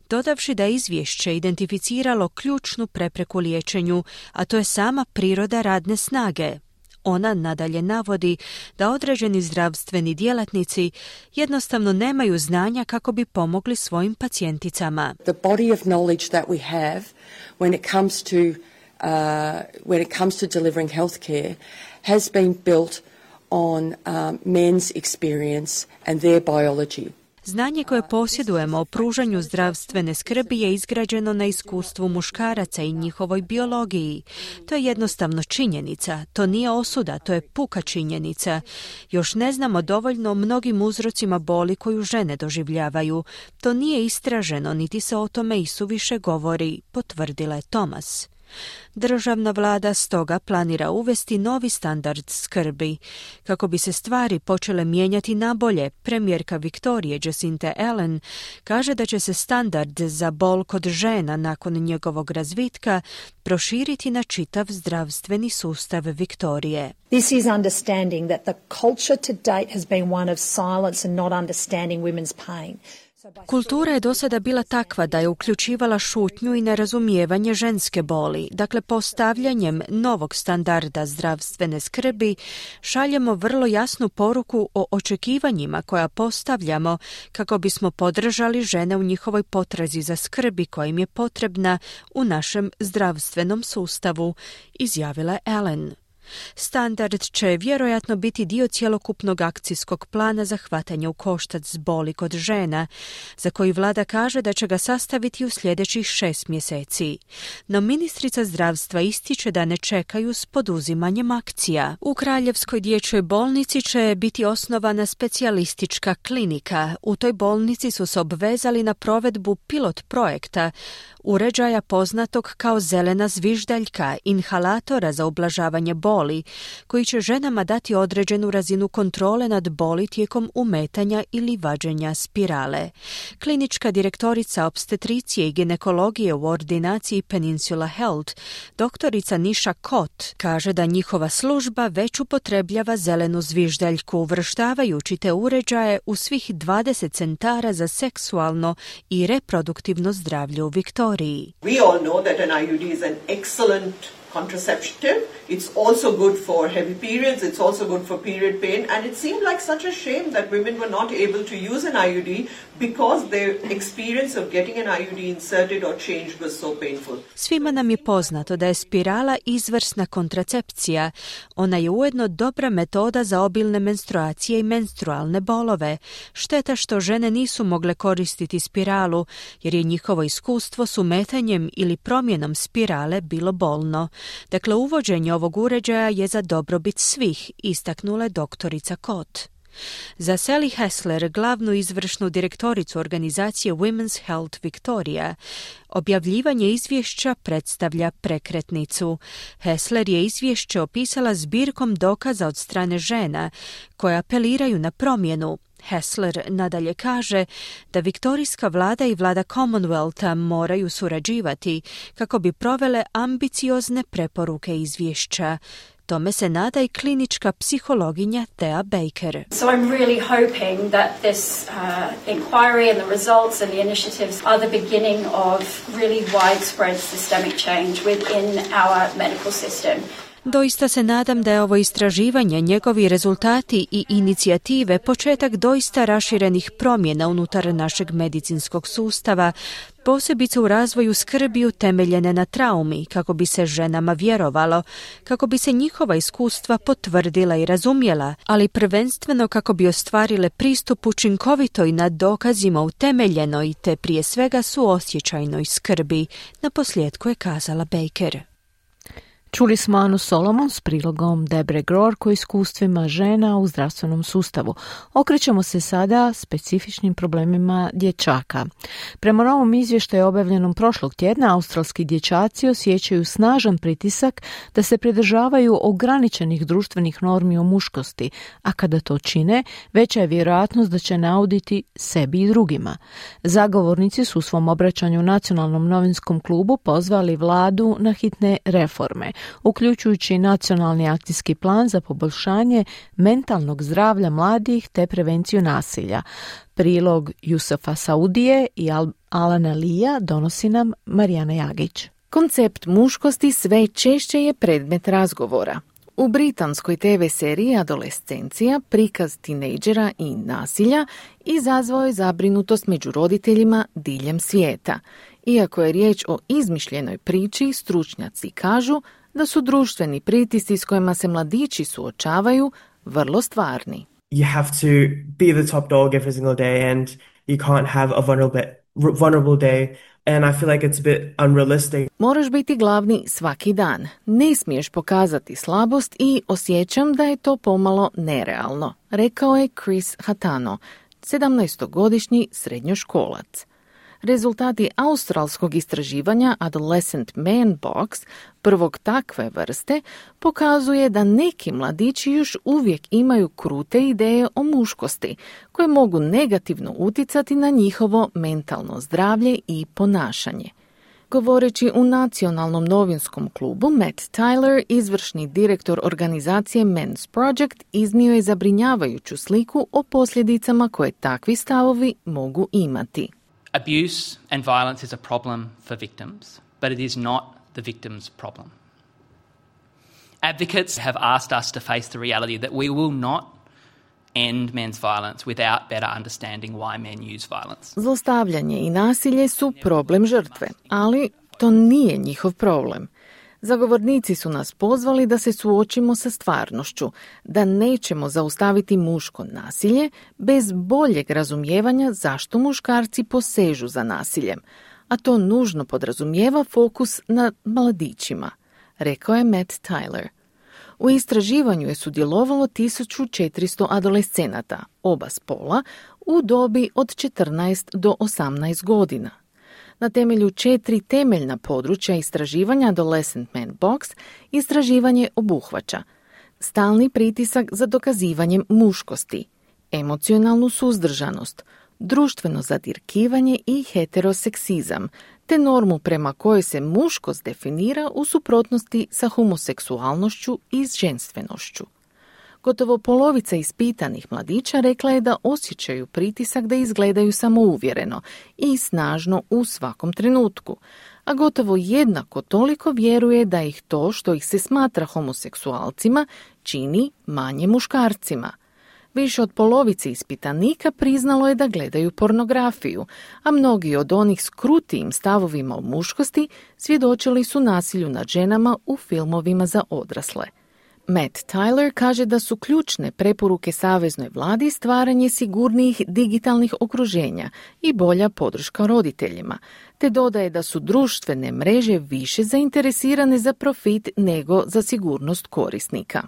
dodavši da je izvješće identificiralo ključnu prepreku liječenju, a to je sama priroda radne snage. Ona nadalje navodi da određeni zdravstveni djelatnici jednostavno nemaju znanja kako bi pomogli svojim pacijenticama. The body of knowledge that we have when it comes to delivering healthcare has been built on men's experience and their biology. Znanje koje posjedujemo o pružanju zdravstvene skrbi je izgrađeno na iskustvu muškaraca i njihovoj biologiji. To je jednostavno činjenica, to nije osuda, to je puka činjenica. Još ne znamo dovoljno o mnogim uzrocima boli koju žene doživljavaju. To nije istraženo, niti se o tome isuviše govori, potvrdila je Thomas. Državna vlada stoga planira uvesti novi standard skrbi. Kako bi se stvari počele mijenjati na bolje, premijerka Viktorije Jacinta Ardern kaže da će se standard za bol kod žena nakon njegovog razvitka proširiti na čitav zdravstveni sustav Viktorije. This is understanding that the culture to date has been one of silence and not understanding women's pain. Kultura je do sada bila takva da je uključivala šutnju i nerazumijevanje ženske boli. Dakle, postavljanjem novog standarda zdravstvene skrbi šaljemo vrlo jasnu poruku o očekivanjima koja postavljamo kako bismo podržali žene u njihovoj potrazi za skrbi koja im je potrebna u našem zdravstvenom sustavu, izjavila je Allen. Standard će vjerojatno biti dio cjelokupnog akcijskog plana za hvatanje u koštac s boli kod žena, za koji vlada kaže da će ga sastaviti u sljedećih 6 mjeseci. No ministrica zdravstva ističe da ne čekaju s poduzimanjem akcija. U Kraljevskoj dječjoj bolnici će biti osnovana specijalistička klinika. U toj bolnici su se obvezali na provedbu pilot projekta, uređaja poznatog kao zelena zviždaljka, inhalatora za ublažavanje boli, koji će ženama dati određenu razinu kontrole nad boli tijekom umetanja ili vađenja spirale. Klinička direktorica opstetricije i ginekologije u ordinaciji Peninsula Health, doktorica Nisha Kot, kaže da njihova služba već upotrebljava zelenu zviždaljku, uvrštavajući te uređaje u svih 20 centara za seksualno i reproduktivno zdravlje u Viktoriji. We all know that an IUD is an excellent contraceptive. It's also good for heavy periods. It's also good for period pain. And it seemed like such a shame that women were not able to use an IUD because their experience of getting an IUD inserted or changed was so painful. Svima nam je poznato da je spirala izvrsna kontracepcija. Ona je ujedno dobra metoda za obilne menstruacije i menstrualne bolove. Šteta što žene nisu mogle koristiti spiralu, jer je njihovo iskustvo s umetanjem ili promjenom spirale bilo bolno. Dakle, uvođenje ovog uređaja je za dobrobit svih, istaknula je doktorica Kot. Za Sally Hessler, glavnu izvršnu direktoricu organizacije Women's Health Victoria, objavljivanje izvješća predstavlja prekretnicu. Hessler je izvješće opisala zbirkom dokaza od strane žena koje apeliraju na promjenu. Hessler nadalje kaže da viktorijska vlada i vlada Commonwealtha moraju surađivati kako bi provele ambiciozne preporuke izvješća. Tome se nada i klinička psihologinja Thea Baker. So I'm really hoping that this inquiry and the results and the initiatives are the beginning of really widespread systemic change within our medical system. Doista se nadam da je ovo istraživanje, njegovi rezultati i inicijative početak doista raširenih promjena unutar našeg medicinskog sustava, posebice u razvoju skrbi utemeljene na traumi, kako bi se ženama vjerovalo, kako bi se njihova iskustva potvrdila i razumjela, ali prvenstveno kako bi ostvarile pristup učinkovitoj na dokazima utemeljenoj te prije svega suosjećajnoj skrbi, naposljetku je kazala Baker. Čuli smo Anu Solomon s prilogom Debre Grork o iskustvima žena u zdravstvenom sustavu. Okrećemo se sada specifičnim problemima dječaka. Prema novom izvještaju objavljenom prošlog tjedna, australski dječaci osjećaju snažan pritisak da se pridržavaju ograničenih društvenih normi o muškosti, a kada to čine, veća je vjerojatnost da će nauditi sebi i drugima. Zagovornici su u svom obraćanju Nacionalnom novinskom klubu pozvali vladu na hitne reforme, uključujući nacionalni akcijski plan za poboljšanje mentalnog zdravlja mladih te prevenciju nasilja. Prilog Jusufa Saudije i Alana Lija donosi nam Marijana Jagić. Koncept muškosti sve češće je predmet razgovora. U britanskoj TV seriji Adolescencija prikaz tinejdžera i nasilja izazvao je zabrinutost među roditeljima diljem svijeta. Iako je riječ o izmišljenoj priči, stručnjaci kažu da su društveni pritisci s kojima se mladići suočavaju vrlo stvarni. You have to be the top dog every single day and you can't have a vulnerable day. And I feel like it's a bit unrealistic. Moraš biti glavni svaki dan. Ne smiješ pokazati slabost i osjećam da je to pomalo nerealno, rekao je Chris Hatano, 17-godišnji srednjoškolac. Rezultati australskog istraživanja Adolescent Man Box, prvog takve vrste, pokazuje da neki mladići još uvijek imaju krute ideje o muškosti, koje mogu negativno utjecati na njihovo mentalno zdravlje i ponašanje. Govoreći u Nacionalnom novinskom klubu, Matt Tyler, izvršni direktor organizacije Men's Project, iznio je zabrinjavajuću sliku o posljedicama koje takvi stavovi mogu imati. Abuse and violence is a problem for victims, but it is not the victim's problem. Advocates have asked us to face the reality that we will not end men's violence without better understanding why men use violence. Zlostavljanje i nasilje su problem žrtve, ali to nije njihov problem. Zagovornici su nas pozvali da se suočimo sa stvarnošću, da nećemo zaustaviti muško nasilje bez boljeg razumijevanja zašto muškarci posežu za nasiljem, a to nužno podrazumijeva fokus na mladićima, rekao je Matt Tyler. U istraživanju je sudjelovalo 1400 adolescenata, oba spola, u dobi od 14 do 18 godina. Na temelju 4 temeljna područja istraživanja Adolescent Man Box istraživanje obuhvaća stalni pritisak za dokazivanjem muškosti, emocionalnu suzdržanost, društveno zadirkivanje i heteroseksizam, te normu prema kojoj se muškost definira u suprotnosti sa homoseksualnošću i ženstvenošću. Gotovo polovica ispitanih mladića rekla je da osjećaju pritisak da izgledaju samouvjereno i snažno u svakom trenutku, a gotovo jednako toliko vjeruje da ih to što ih se smatra homoseksualcima čini manje muškarcima. Više od polovice ispitanika priznalo je da gledaju pornografiju, a mnogi od onih s krutijim stavovima o muškosti svjedočili su nasilju nad ženama u filmovima za odrasle. Matt Tyler kaže da su ključne preporuke saveznoj vladi stvaranje sigurnijih digitalnih okruženja i bolja podrška roditeljima, te dodaje da su društvene mreže više zainteresirane za profit nego za sigurnost korisnika.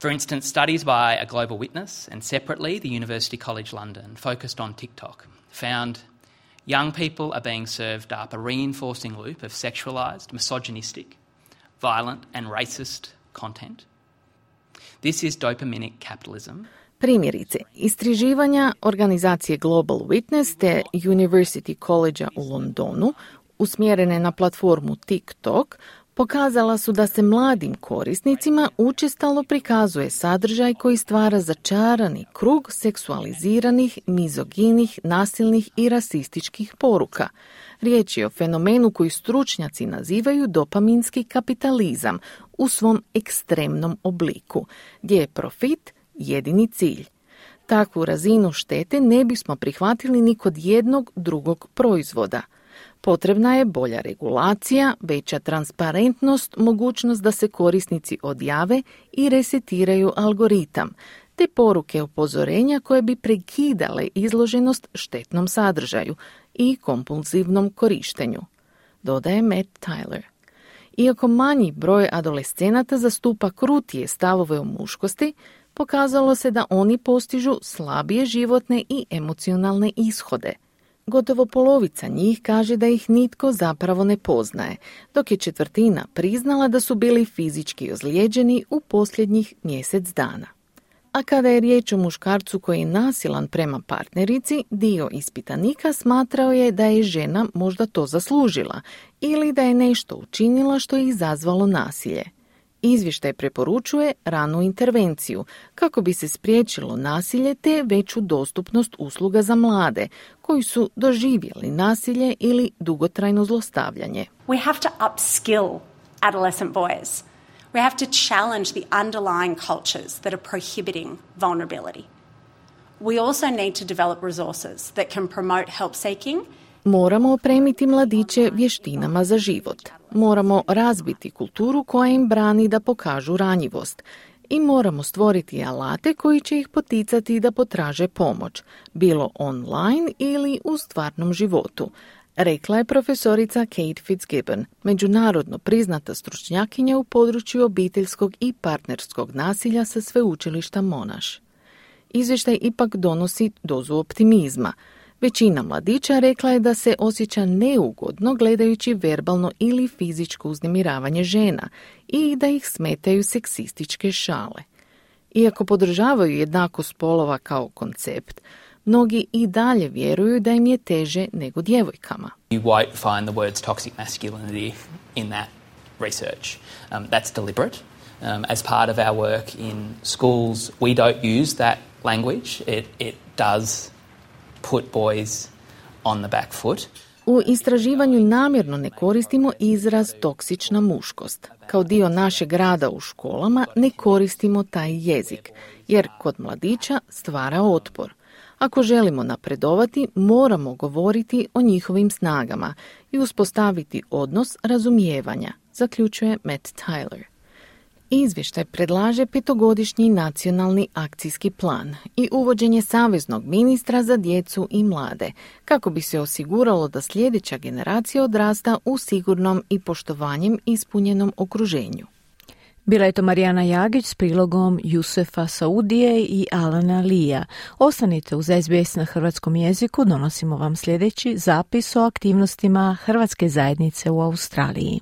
For instance, studies by a Global Witness and separately the University College London focused on TikTok found young people are being served up a reinforcing loop of sexualized, misogynistic, violent and racist content. This is dopaminic capitalism. Primjerice, istraživanja organizacije Global Witness te University College u Londonu, usmjerene na platformu TikTok, pokazala su da se mladim korisnicima učestalo prikazuje sadržaj koji stvara začarani krug seksualiziranih, mizoginih, nasilnih i rasističkih poruka. Riječ je o fenomenu koji stručnjaci nazivaju dopaminski kapitalizam u svom ekstremnom obliku, gdje je profit jedini cilj. Takvu razinu štete ne bismo prihvatili ni kod jednog drugog proizvoda. Potrebna je bolja regulacija, veća transparentnost, mogućnost da se korisnici odjave i resetiraju algoritam, te poruke upozorenja koje bi prekidale izloženost štetnom sadržaju i kompulzivnom korištenju, dodaje Matt Tyler. Iako manji broj adolescenata zastupa krutije stavove o muškosti, pokazalo se da oni postižu slabije životne i emocionalne ishode. Gotovo polovica njih kaže da ih nitko zapravo ne poznaje, dok je četvrtina priznala da su bili fizički ozlijeđeni u posljednjih mjesec dana. A kada je riječ o muškarcu koji je nasilan prema partnerici, dio ispitanika smatrao je da je žena možda to zaslužila ili da je nešto učinila što je izazvalo nasilje. Izvještaj preporučuje ranu intervenciju kako bi se spriječilo nasilje te veću dostupnost usluga za mlade koji su doživjeli nasilje ili dugotrajno zlostavljanje. We have to upskill adolescent boys. We have to challenge the underlying cultures that are prohibiting vulnerability. We also need to develop resources that can promote help seeking. Moramo opremiti mladiće vještinama za život. Moramo razbiti kulturu koja im brani da pokažu ranjivost. I moramo stvoriti alate koji će ih poticati da potraže pomoć, bilo online ili u stvarnom životu, rekla je profesorica Kate Fitzgibbon, međunarodno priznata stručnjakinja u području obiteljskog i partnerskog nasilja sa sveučilišta Monash. Izvještaj ipak donosi dozu optimizma. Većina mladića rekla je da se osjeća neugodno gledajući verbalno ili fizičko uznemiravanje žena i da ih smetaju seksističke šale. Iako podržavaju jednakost spolova kao koncept, Mnogi i dalje vjeruju da im je teže nego djevojkama. You won't find the words toxic masculinity in that research. That's deliberate. As part of our work in schools, we don't use that language. It does put boys on the back foot. U istraživanju namjerno ne koristimo izraz toksična muškost. Kao dio našeg rada u školama ne koristimo taj jezik, jer kod mladića stvara otpor. Ako želimo napredovati, moramo govoriti o njihovim snagama i uspostaviti odnos razumijevanja, zaključuje Matt Tyler. Izvještaj predlaže 5-godišnji nacionalni akcijski plan i uvođenje saveznog ministra za djecu i mlade, kako bi se osiguralo da sljedeća generacija odrasta u sigurnom i poštovanjem ispunjenom okruženju. Bila je to Marijana Jagić s prilogom Jusefa Saudije i Alana Lija. Ostanite uz SBS na hrvatskom jeziku, donosimo vam sljedeći zapis o aktivnostima hrvatske zajednice u Australiji.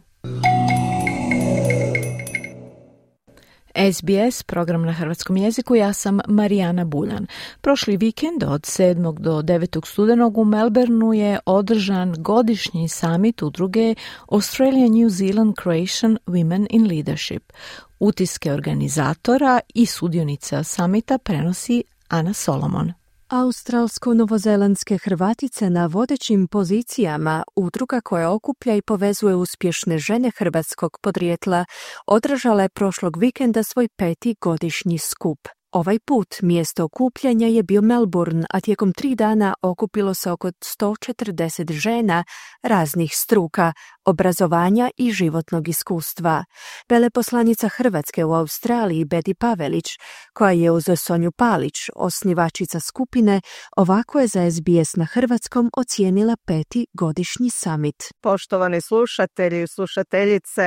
SBS, program na hrvatskom jeziku, ja sam Marijana Buljan. Prošli vikend od 7. do 9. studenog u Melbourneu je održan godišnji summit udruge Australia New Zealand Croatian Women in Leadership. Utiske organizatora i sudionica summita prenosi Ana Solomon. Australsko-novozelandske Hrvatice na vodećim pozicijama, udruga koja okuplja i povezuje uspješne žene hrvatskog podrijetla, održala je prošlog vikenda svoj 5. godišnji skup. Ovaj put mjesto okupljanja je bio Melbourne, a tijekom 3 dana okupilo se oko 140 žena raznih struka, obrazovanja i životnog iskustva. Veleposlanica Hrvatske u Australiji Beti Pavelić, koja je uz Sonju Palić, osnivačica skupine, ovako je za SBS na hrvatskom ocijenila 5. godišnji summit. Poštovani slušatelji i slušateljice,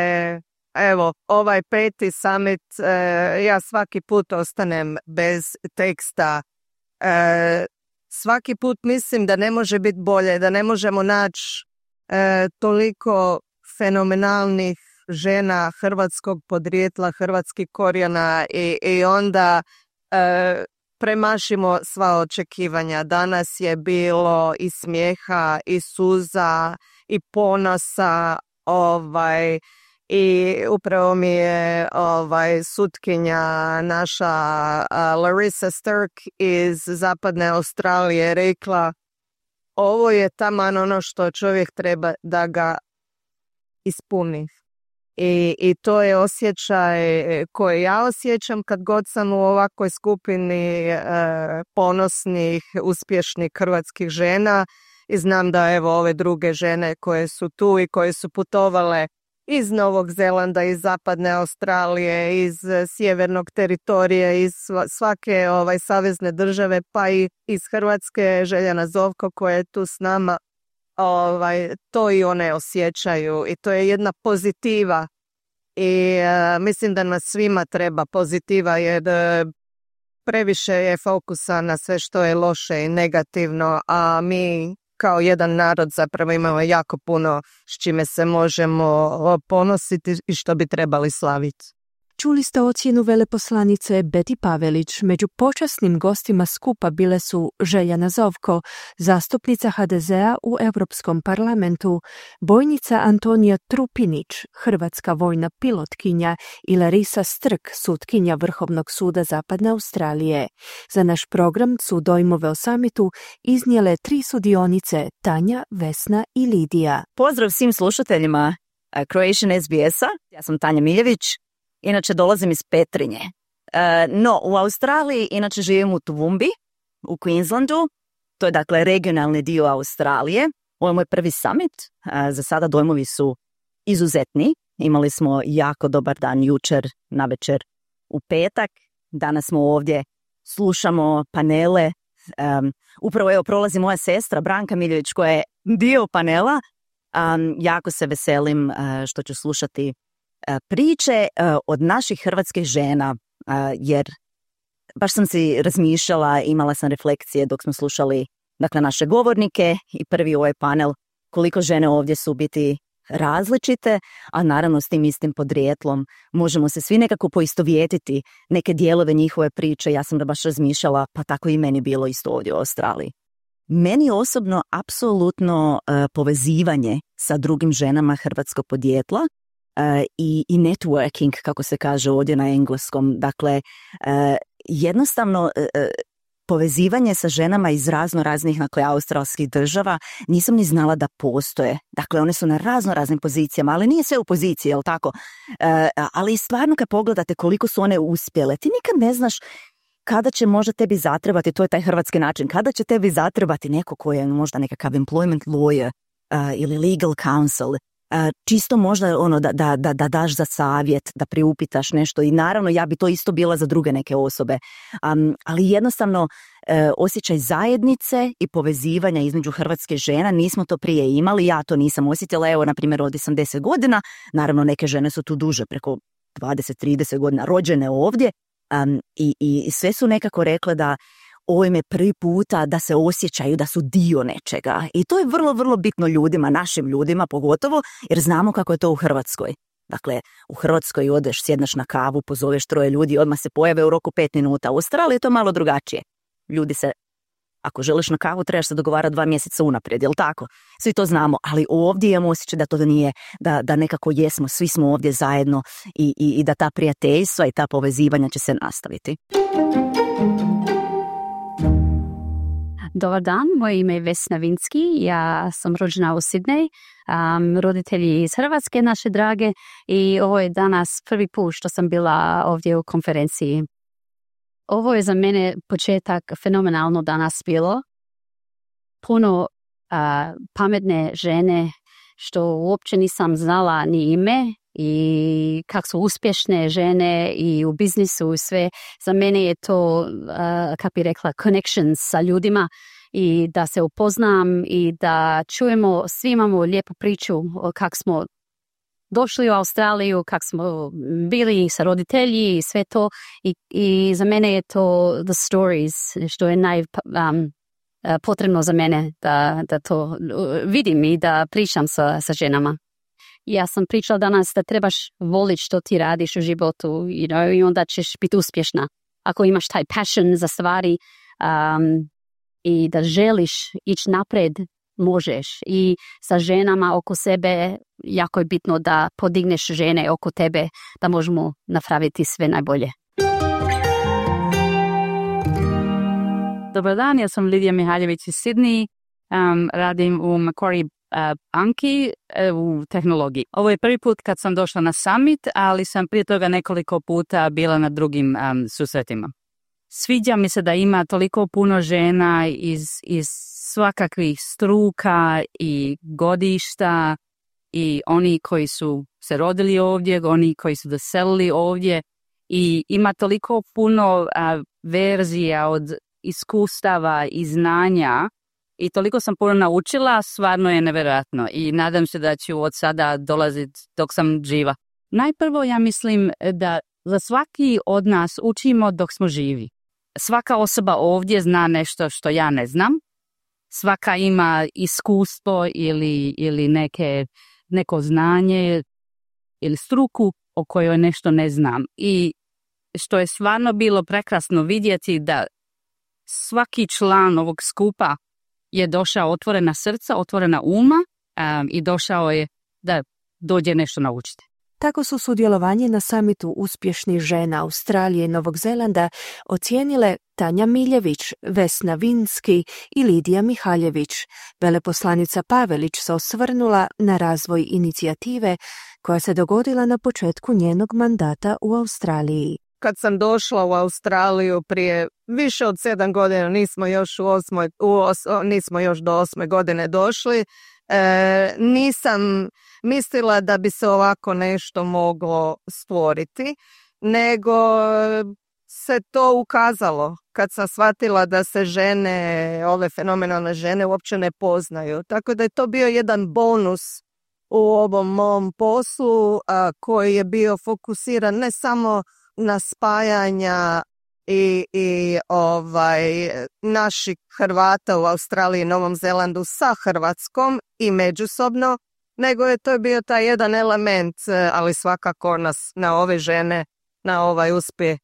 evo, ovaj 5. summit, ja svaki put ostanem bez teksta. Svaki put mislim da ne može biti bolje, da ne možemo naći toliko fenomenalnih žena hrvatskog podrijetla, hrvatskih korijena i onda premašimo sva očekivanja. Danas je bilo i smijeha, i suza, i ponosa, i upravo mi je sutkinja naša Larissa Stirk iz zapadne Australije rekla: ovo je taman ono što čovjek treba da ga ispuni. I to je osjećaj koji ja osjećam kad god sam u ovakvoj skupini ponosnih, uspješnih hrvatskih žena i znam da evo ove druge žene koje su tu i koje su putovale iz Novog Zelanda, iz zapadne Australije, iz sjevernog teritorija, iz svake savezne države, pa i iz Hrvatske, Željana Zovko koja je tu s nama, to i one osjećaju i to je jedna pozitiva i mislim da nas svima treba pozitiva jer previše je fokusa na sve što je loše i negativno, a mi kao jedan narod zapravo imamo jako puno s čime se možemo ponositi i što bi trebali slaviti. Čuli ste ocjenu veleposlanice Beti Pavelić. Među počasnim gostima skupa bile su Željana Zovko, zastupnica HDZ-a u Europskom parlamentu, bojnica Antonija Trupinić, hrvatska vojna pilotkinja i Larissa Stirk, sutkinja Vrhovnog suda Zapadne Australije. Za naš program su dojmove o samitu iznijele 3 sudionice, Tanja, Vesna i Lidija. Pozdrav svim slušateljima Croatian SBS-a, ja sam Tanja Miljević. Inače dolazim iz Petrinje. No, u Australiji inače živim u Toowoomba, u Queenslandu. To je dakle regionalni dio Australije. Ovo je moj prvi summit. Za sada dojmovi su izuzetni. Imali smo jako dobar dan jučer navečer u petak. Danas smo ovdje, slušamo panele. Upravo evo prolazi moja sestra Branka Miljević koja je dio panela. Jako se veselim što ću slušati priče od naših hrvatskih žena, jer baš sam si razmišljala, imala sam refleksije dok smo slušali dakle naše govornike i prvi ovaj panel, koliko žene ovdje su biti različite, a naravno s tim istim podrijetlom možemo se svi nekako poistovjetiti neke dijelove njihove priče. Ja sam da baš razmišljala, pa tako i meni bilo isto ovdje u Australiji. Meni osobno apsolutno povezivanje sa drugim ženama hrvatskog podrijetla i networking, kako se kaže ovdje na engleskom. Dakle, jednostavno povezivanje sa ženama iz raznih australskih država nisam ni znala da postoje. Dakle, one su na raznim pozicijama, ali nije sve u poziciji, jel tako? Ali stvarno kad pogledate koliko su one uspjele, ti nikad ne znaš kada će možda tebi zatrebati, to je taj hrvatski način, kada će tebi zatrebati neko ko je možda nekakav employment lawyer ili legal counsel, čisto možda da daš za savjet, da priupitaš nešto i naravno ja bi to isto bila za druge neke osobe, ali jednostavno osjećaj zajednice i povezivanja između hrvatske žena, nismo to prije imali, ja to nisam osjetila, evo na primjer ovdje sam 10 godina, naravno neke žene su tu duže, preko 20-30 godina rođene ovdje, i sve su nekako rekle da ovo im je prvi puta da se osjećaju da su dio nečega. I to je vrlo, vrlo bitno ljudima, našim ljudima pogotovo, jer znamo kako je to u Hrvatskoj. Dakle, u Hrvatskoj odeš, sjedneš na kavu, pozoveš 3 ljudi, odmah se pojave u roku 5 minuta. U Australiji je to malo drugačije. Ljudi se, ako želiš na kavu, trebaš se dogovarati 2 mjeseca unaprijed, jel tako? Svi to znamo, ali ovdje imamo osjećaj da to nije, da nekako jesmo, svi smo ovdje zajedno i da ta prijateljstva i ta povezivanja će se nastaviti. Dobar dan, moje ime je Vesna Vinski, ja sam rođena u Sidney, roditelji iz Hrvatske, naše drage, i ovo je danas prvi put što sam bila ovdje u konferenciji. Ovo je za mene početak fenomenalno danas bilo. Puno pametne žene što uopće nisam znala ni ime i kako su uspješne žene i u biznisu i sve. Za mene je to, kako bi rekla, connections sa ljudima i da se upoznam i da čujemo, svi imamo lijepu priču kako smo došli u Australiju, kako smo bili sa roditelji i sve to. I za mene je to the stories, što je potrebno za mene da to vidim i da pričam sa ženama. Ja sam pričala danas da trebaš voliti što ti radiš u životu, i onda ćeš biti uspješna. Ako imaš taj passion za stvari i da želiš ići napred, možeš. I sa ženama oko sebe jako je bitno da podigneš žene oko tebe, da možemo napraviti sve najbolje. Dobar dan, ja sam Lidija Mihaljević iz Sidney, radim u Macquarie banki u tehnologiji. Ovo je prvi put kad sam došla na summit, ali sam prije toga nekoliko puta bila na drugim susretima. Sviđa mi se da ima toliko puno žena iz svakakvih struka i godišta i oni koji su se rodili ovdje, oni koji su doselili ovdje, i ima toliko puno verzija od iskustava i znanja i toliko sam puno naučila, stvarno je nevjerojatno i nadam se da ću od sada dolaziti dok sam živa. Najprvo ja mislim da za svaki od nas učimo dok smo živi. Svaka osoba ovdje zna nešto što ja ne znam. Svaka ima iskustvo ili neko znanje ili struku o kojoj nešto ne znam. I što je stvarno bilo prekrasno vidjeti da svaki član ovog skupa je došao otvorena srca, otvorena uma i došao je da dođe nešto naučiti. Tako su sudjelovanje na samitu uspješnih žena Australije i Novog Zelanda ocijenile Tanja Miljević, Vesna Vinski i Lidija Mihaljević. Veleposlanica Pavelić se osvrnula na razvoj inicijative koja se dogodila na početku njenog mandata u Australiji. Kad sam došla u Australiju prije više od 7 godina, nismo još do 8. godine došli, nisam mislila da bi se ovako nešto moglo stvoriti, nego se to ukazalo kad sam shvatila da se žene, ove fenomenalne žene uopće ne poznaju. Tako da je to bio jedan bonus u ovom mom poslu koji je bio fokusiran ne samo na spajanja i naših Hrvata u Australiji i Novom Zelandu sa Hrvatskom i međusobno, nego je to bio taj jedan element, ali svakako nas, na ove žene, na ovaj uspjeh,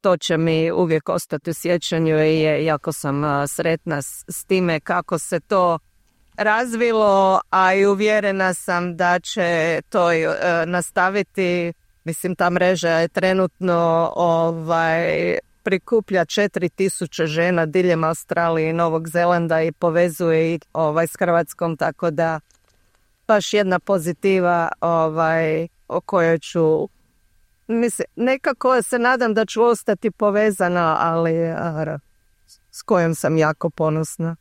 to će mi uvijek ostati u sjećanju i jako sam sretna s time kako se to razvilo, a i uvjerena sam da će to nastaviti. Mislim, ta mreža je trenutno prikuplja 4000 žena diljem Australije i Novog Zelanda i povezuje ih s Hrvatskom, tako da baš jedna pozitiva o kojoj ću, mislim, nekako se nadam da ću ostati povezana, ali s kojom sam jako ponosna.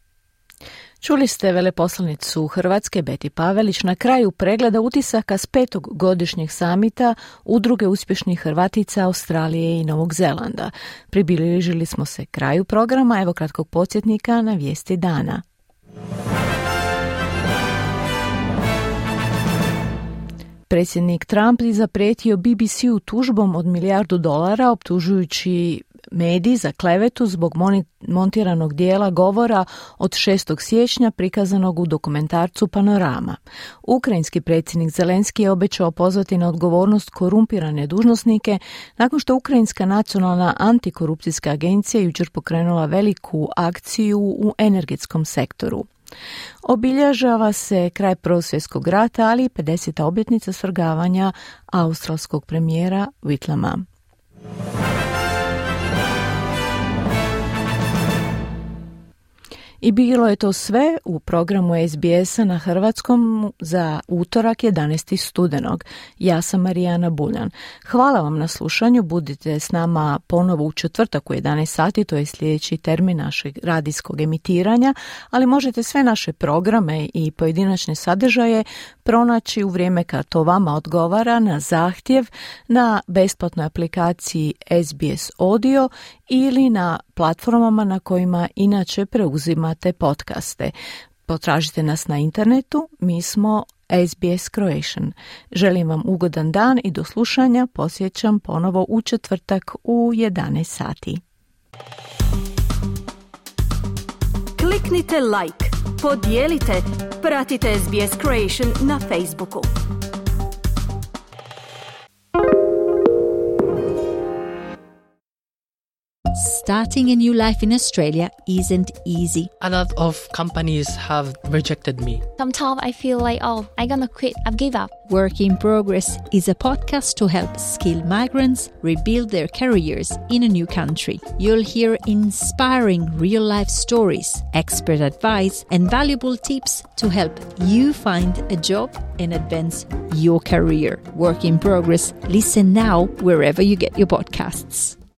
Čuli ste veleposlanicu Hrvatske Beti Pavelić na kraju pregleda utisaka s 5. godišnjeg samita Udruge uspješnih Hrvatica Australije i Novog Zelanda. Približili smo se kraju programa, evo kratkog podsjetnika na vijesti dana. Predsjednik Trump je zaprijetio BBC-u tužbom od $1 milijardu optužujući medij za klevetu zbog montiranog dijela govora od 6. siječnja prikazanog u dokumentarcu Panorama. Ukrajinski predsjednik Zelenski je obećao pozvati na odgovornost korumpirane dužnosnike nakon što Ukrajinska nacionalna antikorupcijska agencija jučer pokrenula veliku akciju u energetskom sektoru. Obilježava se kraj Prvog svjetskog rata, ali i 50. obljetnica svrgavanja australskog premijera Whitlama. I bilo je to sve u programu SBS-a na hrvatskom za utorak 11. studenog. Ja sam Marijana Buljan. Hvala vam na slušanju, budite s nama ponovo u četvrtak u 11 sati, to je sljedeći termin našeg radijskog emitiranja, ali možete sve naše programe i pojedinačne sadržaje pronaći u vrijeme kad to vama odgovara na zahtjev na besplatnoj aplikaciji SBS Audio ili na platformama na kojima inače preuzimate podcaste. Potražite nas na internetu, mi smo SBS Croatian. Želim vam ugodan dan i do slušanja, posjećam ponovo u četvrtak u 11 sati. Kliknite like, podijelite, pratite SBS Croatian na Facebooku. Starting a new life in Australia isn't easy. A lot of companies have rejected me. Sometimes I feel like, I'm gonna quit, I've give up. Work in Progress is a podcast to help skilled migrants rebuild their careers in a new country. You'll hear inspiring real-life stories, expert advice, and valuable tips to help you find a job and advance your career. Work in Progress. Listen now wherever you get your podcasts.